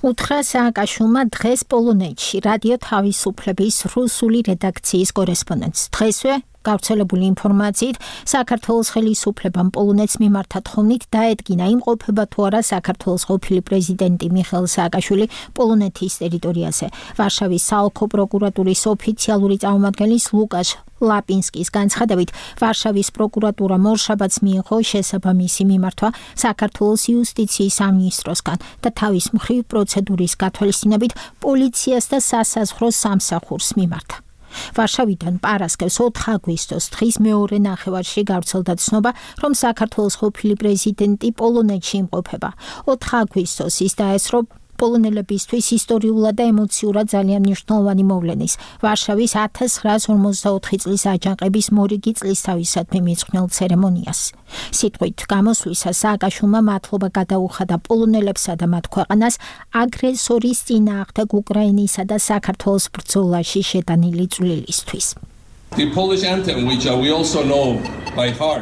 უთხრა სააკაშვილმა დღეს პოლონეთში რადიო თავისუფლების რუსული რედაქციის კორესპონდენტს. დღესვე გავრცელებული ინფორმაციით საქართველოს ხელისუფლებამ პოლონეთს მიმართა თხოვნით დაედგინა იმყოფება თუ არა საქართველოს ყოფილი პრეზიდენტი მიხეილ სააკაშვილი პოლონეთის ტერიტორიაზე. ვარშავის საოლქო პროკურატურის ოფიციალური წარმომადგენლის ლუკაშ ლაპინსკის განცხადებით, ვარშავის პროკურატურა მორშაბათს მიიღო შესაბამისი მიმართვა საქართველოს იუსტიციის სამინისტროსგან და თავის მხრივ პროცედურის გათვალისწინებით პოლიციას და სასაზღვრო სამსახურს მიმართა. ვარშავიდან პარასკევს 4 აგვისტოს დღის მეორე ნახევარში გავრცელდა ცნობა, რომ საქართველოს ყოფილი პრეზიდენტი პოლონეთში იმყოფება. 4 აგვისტოს ის დაესწრო პოლონელებისთვის ისტორიულად და ემოციურად ძალიან მნიშვნელოვანი მოვლენის, ვარშავის 1954 წლის აჯანყების მორიგი წლისთავისადმი მიძღვნილ ცერემონიას. სიტყვით გამოსვლისა სააკაშვილმა მადლობა გადაუხადა პოლონელებსა და მათ ქვეყანას აგრესორის წინააღმდეგ უკრაინისა და საქართველოს ბრძოლაში შეტანილი წვლილისთვის.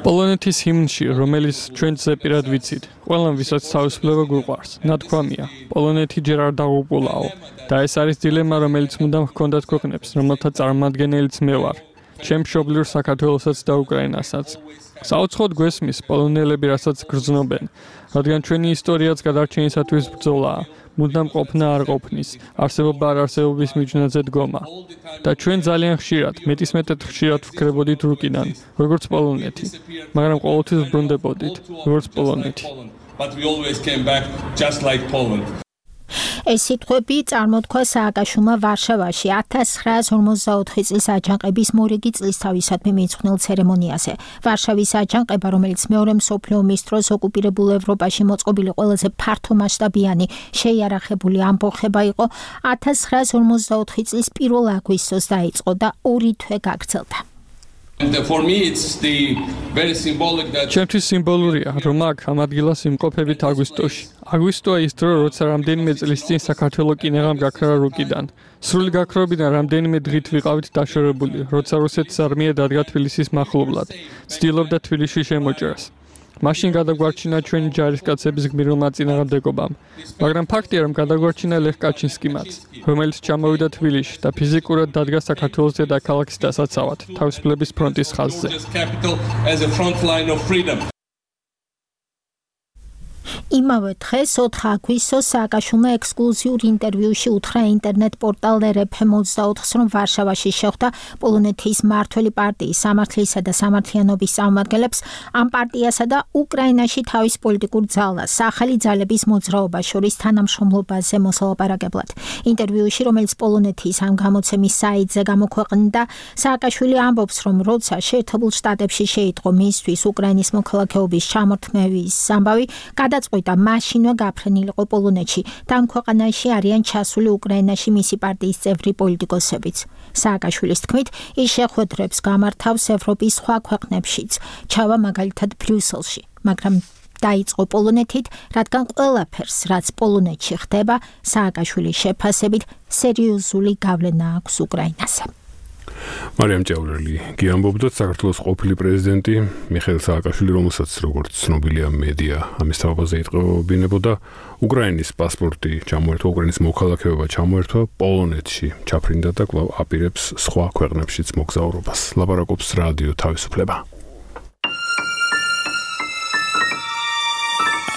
პოლონეთის ჰიმნში, რომელიც ჩვენ ზეპირად ვიცით, ყველამ ვისაც თავისუფლება გვიყვარს, ნათქვამია, პოლონეთი ჯერ არ დაღუპულაო და ეს არის დილემა, რომელიც მუდამ ჰქონდათ ქვეყნებს, რომელთა წარმომადგენელიც მე ვარ, ჩემ მშობლიურ საქართველოსაც და უკრაინასაც. საუცხოდ გვესმის პოლონელები რასაც გრძნობენ, რადგან ჩვენი ისტორიაც გადარჩენისათვის ბრძოლაა. მუდამ ყოფნა არ ყოფნის, არსებობა არ არსებობის მიჯნაზე დგომა. და ჩვენ ძალიან ხშირად, მეტისმეტად ხშირად ვკრებოდით რუკიდან, როგორც პოლონეთი, მაგრამ ყოველთვის ვბრუნდებოდით, როგორც პოლონეთი. ეს სიტყვები წარმოთქვა სააკაშვილმა ვარშავაში 1954 წლის აჯანყების მორიგი წლისთავისადმი მიძღვნილ ცერემონიაზე. ვარშავის აჯანყება, რომელიც მეორე მსოფლიო ომის დროს ოკუპირებულ ევროპაში მოწყობილი ყველაზე ფართომასშტაბიანი შეიარაღებული ამბოხება იყო, 1954 წლის 1 აგვისტოს დაიწყო და 2 თვე გაგრძელდა. ჩემთვის სიმბოლურია, რომ აქ ამ ადგილას იმყოფებით აგვისტოში. აგვისტოა ის დრო, როცა რამდენიმე წლის წინ საქართველო კინაღამ გაქრა რუკიდან. სრული გაქრობიდან რამდენიმე დღით ვიყავით დაშორებული, როცა რუსეთის არმია დადგა თბილისის მახლობლად. ცდილობდა თბილისში შემოჭრას. მაშინ გადაგვარჩინა ჩვენი ჯარისკაცების გმირილმა წინააღმდეგობამ. მაგრამ ფაქტია, რომ გადაგვარჩინა ლეხ კაჩინსკიმაც, რომელიც ჩამოვიდა თბილისში და ფიზიკურად დადგა საქართველოს დედაქალაქის დასაცავად, თავისუფლების ფრონტის ხაზზე. იმავე დღეს 4 აგვისტოს სააკაშვილმა ექსკლუზიურ ინტერვიუში უთხრა ინტერნეტ პორტალ RFM24-ს, რომ ვარშავაში შეხვდა პოლონეთის მმართველი პარტიის სამართლისა და სამართლიანობის წარმომადგენლებს, ამ პარტიასა და უკრაინაში თავის პოლიტიკურ ძალას, ახალი ძალების მოძრაობას შორის თანამშრომლობაზე მოსალაპარაკებლად. ინტერვიუში, რომელიც პოლონეთის ამ გამოცემის საიტზე გამოქვეყნდა, სააკაშვილი ამბობს, რომ როცა შეერთებულ შტატებში შეიტყო მისთვის უკრაინის მოქალაქეობის ჩამორთმევის ამბავი, გადაწყვიტა მაშინვე გაფრენილიყო პოლონეთში და ამ ქვეყანაში არიან ჩასული უკრაინაში მისი პარტიის წევრი პოლიტიკოსებიც. სააკაშვილის თქმით, ის შეხვედრებს გამართავს ევროპის სხვა ქვეყნებშიც, ჩავა მაგალითად ბრიუსელში, მაგრამ დაიწყო პოლონეთით, რადგან ყველაფერს, რაც პოლონეთში ხდება, სააკაშვილის შეფასებით სერიოზული გავლენა აქვს უკრაინაზე. მარიამ ჭაურელი გიამბობდათ, საქართველოს ყოფილი პრეზიდენტი მიხეილ სააკაშვილი, რომელსაც როგორც ცნობილია მედია ამის თაობაზე იტყობინებოდა, უკრაინის პასპორტი ჩამოერთვა, უკრაინის მოქალაქეობა ჩამოერთვა, პოლონეთში ჩაფრინდა და კვლავ აპირებს სხვა ქვეყნებშიც მოგზაურობას. ლაპარაკობს რადიო თავისუფლება.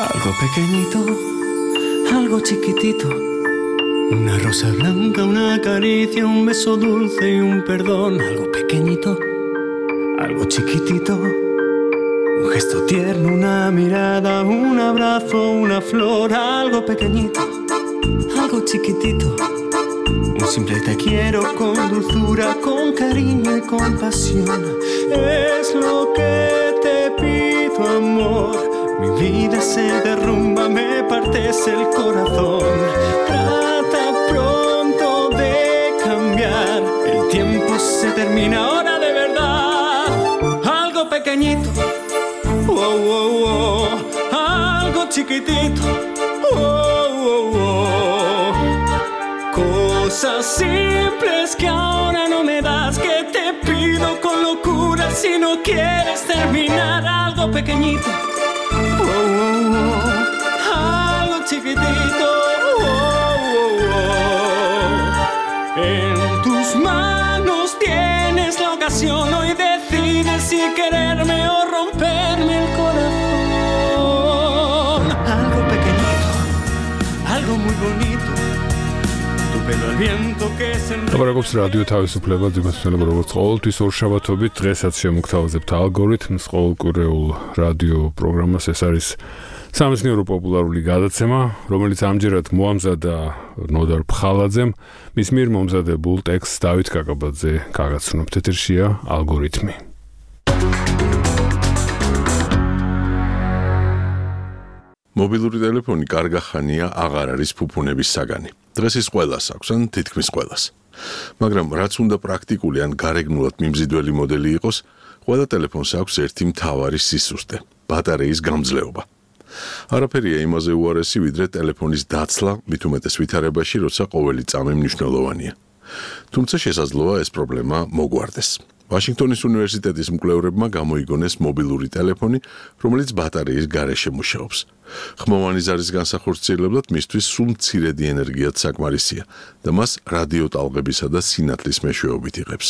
Algo pequeñito, algo chiquitito, una rosa blanca, una caricia, un beso dulce y un perdón. Algo pequeñito, algo chiquitito, un gesto tierno, una mirada, un abrazo, una flor. Algo pequeñito, algo chiquitito, un simple te quiero con dulzura, con cariño y compasión. Es lo que te pido, amor. Mi vida se derrumba, me partes el corazón. Trata pronto de cambiar. El tiempo se termina ahora de verdad. Algo pequeñito, oh, oh, oh. Algo chiquitito, oh, oh, oh. Cosas simples que ahora no me das, que te pido con locura si no quieres terminar. Algo pequeñito, oh, oh, oh. Algo chiquitito, oh, oh, oh. En tus manos tienes la ocasión, hoy decides si quererme o romperme el corazón. Algo pequeñito, algo muy bonito, tu pelo al viento que se ლაპარაკობს რადიო თავისუფლება, ძიმასწავლება როგორც ყოველთვის ორშაბათობით, დღესაც შემოგთავაზებთ ალგორითმს ყოველკვირეულ რადიო პროგრამას. ეს არის სამეცნიერო პოპულარული გადაცემა, რომელიც ამჯერად მოამზადა ნოდარ ფხალაძემ, მის მიერ მომზადებულ ტექსტს დავით კაკაბაძე გაგაცნობთ. ეთერშია ალგორითმი. მობილური ტელეფონი კარგახანია აღარ არის ფუფუნების საგანი. დღეს ის ყველას აქვს, ან თითქმის ყველას. მაგრამ რაც უნდა პრაქტიკული ან გარეგნულად მიმზიდველი მოდელი იყოს, ყველა ტელეფონს აქვს ერთი მთავარი სისუსტე – ბატარეის გამძლეობა. არაფერია იმაზე უარესი, ვიდრე ტელეფონის დაცლა, მით უმეტეს ვითარებაში, როცა ყოველი წამი მნიშვნელოვანია. თუმცა შესაძლოა ეს პრობლემა მოგვარდეს. ვაშინგტონის უნივერსიტეტის მკვლევრებმა გამოიგონეს მობილური ტელეფონი, რომელიც ბატარეის გარეშე მუშაობს. ხმოვანი ზარის განსახორციელებლად მისთვის სულ მცირედი ენერგიაც საკმარისია და მას რადიოტალღებისა და სინათლის მეშვეობით იღებს.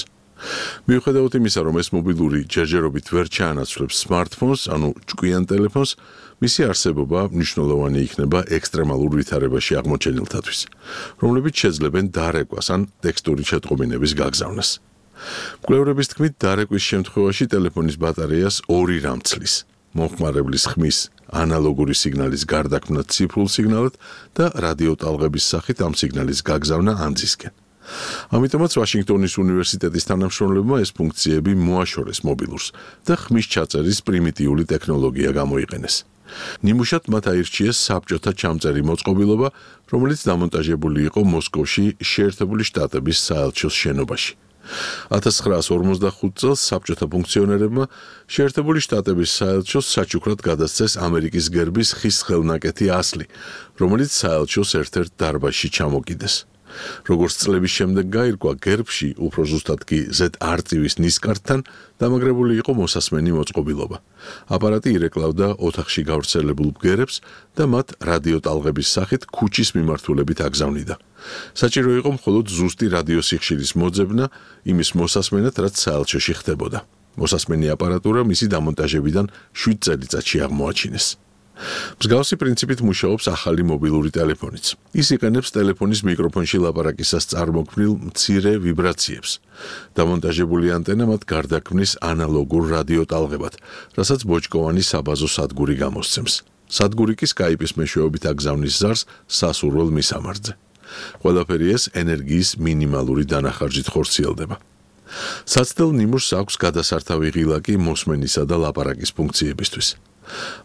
მიუხედავად იმისა, რომ ეს მობილური ჯერჯერობით ვერ ჩაანაცვლებს სმარტფონს, ანუ ჭკვიან ტელეფონს, მისი არსებობა მნიშვნელოვანი იქნება ექსტრემალურ ვითარებაში აღმოჩენილთათვის, რომლებიც შეძლებენ დარეკვას ან ტექსტური შეტყობინების გაგზავნას. მკვლევრების თქმით, დარეკვის შემთხვევაში ტელეფონის ბატარეას ორი რამ ცლის: მომხმარებლის ხმის ანალოგური სიგნალის გარდაქმნა ციფრულ სიგნალად და რადიოტალღების სახით ამ სიგნალის გაგზავნა ანძისკენ. ამიტომაც ვაშინგტონის უნივერსიტეტის თანამშრომლებმა ეს ფუნქციები მოაშორეს მობილურს და ხმის ჩაწერის პრიმიტიული ტექნოლოგია გამოიყენეს. ნიმუშად მათ აირჩიეს საბჭოთა ჩამწერი მოწყობილობა, რომელიც დამონტაჟებული იყო მოსკოვში შეერთებული შტატების საელჩოს შენობაში. 1945 წელს საბჭოთა ფუნქციონერებმა შეერთებული შტატების საელჩოს საჩუქრად გადასცეს ამერიკის გერბის ხის ხელნაკეთი ასლი, რომელიც საელჩოს ერთ-ერთ დარბაზში ჩამოკიდეს. როგორც წლების შემდეგ გაირკვა, გერბში, უფრო ზუსტად კი Z არწივის ნისკარტთან დამაგრებული იყო მოსასმენი მოწყობილობა. აპარატი ირეკლავდა ოთახში გავრცელებულ ბგერებს და მათ რადიოტალღების სახით ქუჩის მიმართულებით აგზავნიდა. საჭირო იყო მხოლოდ ზუსტი რადიოსიხშირის მოძებნა იმის მოსასმენად, რაც საელჩოში ხდებოდა. მოსასმენი აპარატურა მისი დამონტაჟებიდან 7 წელიწადში აღმოაჩინეს. მსგავსი პრინციპით მუშაობს ახალი მობილური ტელეფონიც. ის იყენებს ტელეფონის მიკროფონში ლაპარაკისას წარმოქმნილ მცირე ვიბრაციებს. დამონტაჟებული ანტენა მათ გარდაქმნის ანალოგურ რადიო ტალღებად, რასაც ბოჭკოვანი საბაზო სადგური გამოსცემს. სადგური კი Skype-ის მეშვეობით აგზავნის ზარს სასურველ მისამართზე. ყველაფერი ეს ენერგიის მინიმალური დანახარჯით ხორციელდება. საცდელ ნიმუშს აქვს გადასართავი ღილაკი მოსმენისა და ლაპარაკის ფუნქციებისთვის.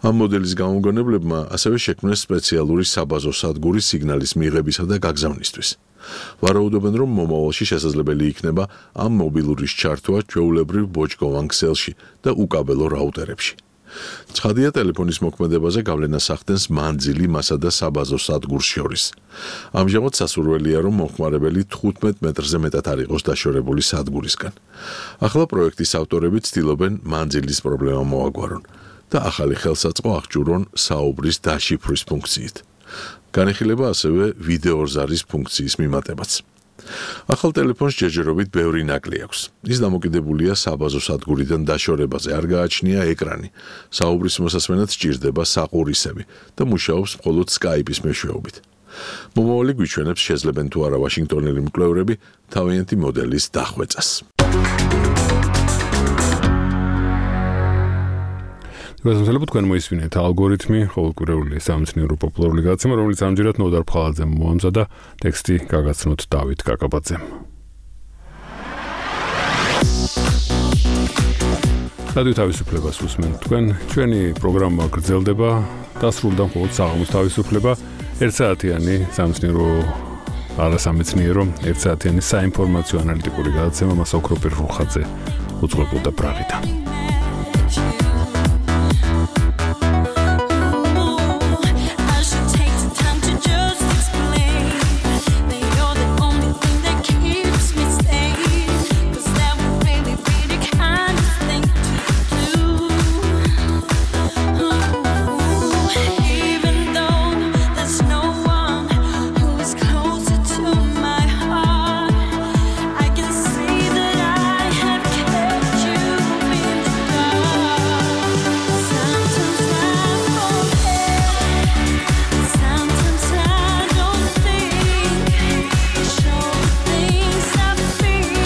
ამ მოდელის გამომგონებლებმა ასევე შექმნეს სპეციალური საბაზო სადგური სიგნალის მიღებისა და გაგზავნისთვის. ვარაუდობენ, რომ მომავალში შესაძლებელი იქნება ამ მობილურის ჩართვა ჩვეულებრივ ბოჭკოვან ქსელში და უკაბელო რაუტერებში. ცხადია, ტელეფონის მოქმედებაზე გავლენას ახდენს მანძილი მასა და საბაზო სადგურს შორის. ამჟამად სასურველია, რომ მომხმარებელი 15 მეტრზე მეტად არ იყოს დაშორებული სადგურისგან. ახლა პროექტის ავტორები ცდილობენ მანძილის პრობლემა მოაგვარონ და ახალი ხელსაწყო აღჭურვონ საუბრის დაშიფვრის ფუნქციით. განიხილება ასევე ვიდეოზარის ფუნქციის მიმატებაც. ახალ ტელეფონს ჯერჯერობით ბევრი ნაკლი აქვს. ის დამოკიდებულია საბაზო სადგურიდან დაშორებაზე, არ გააჩნია ეკრანი. საუბრის მოსასმენად სჭირდება საყურისები და მუშაობს მხოლოდ Skype-ის მეშვეობით. მომავალი გვიჩვენებს, შეძლებენ თუ არა ვაშინგტონელი მკვლევრები თავიანთი მოდელის დახვეწას. გასამართლებლად თქვენ მოისმინეთ ალგორითმი, ყოველკვირეული სამეცნიერო პოპულარული გადაცემა, რომელიც ამჯერად ნოდარ ფხალაძემ მოამზადა, ტექსტი გაგაცნოთ დავით კაკაბაძემ. რადიო თავისუფლებას უსმენთ თქვენ, ჩვენი პროგრამა გრძელდება, დასრულდა მხოლოდ საღამოს თავისუფლება, 1 საათიანი სამეცნიერო არასამეცნიერო, 1 საათიანი საინფორმაციო ანალიტიკური გადაცემა მას ოქროპირ რუხაძე უძღვებოდა პრაღიდან.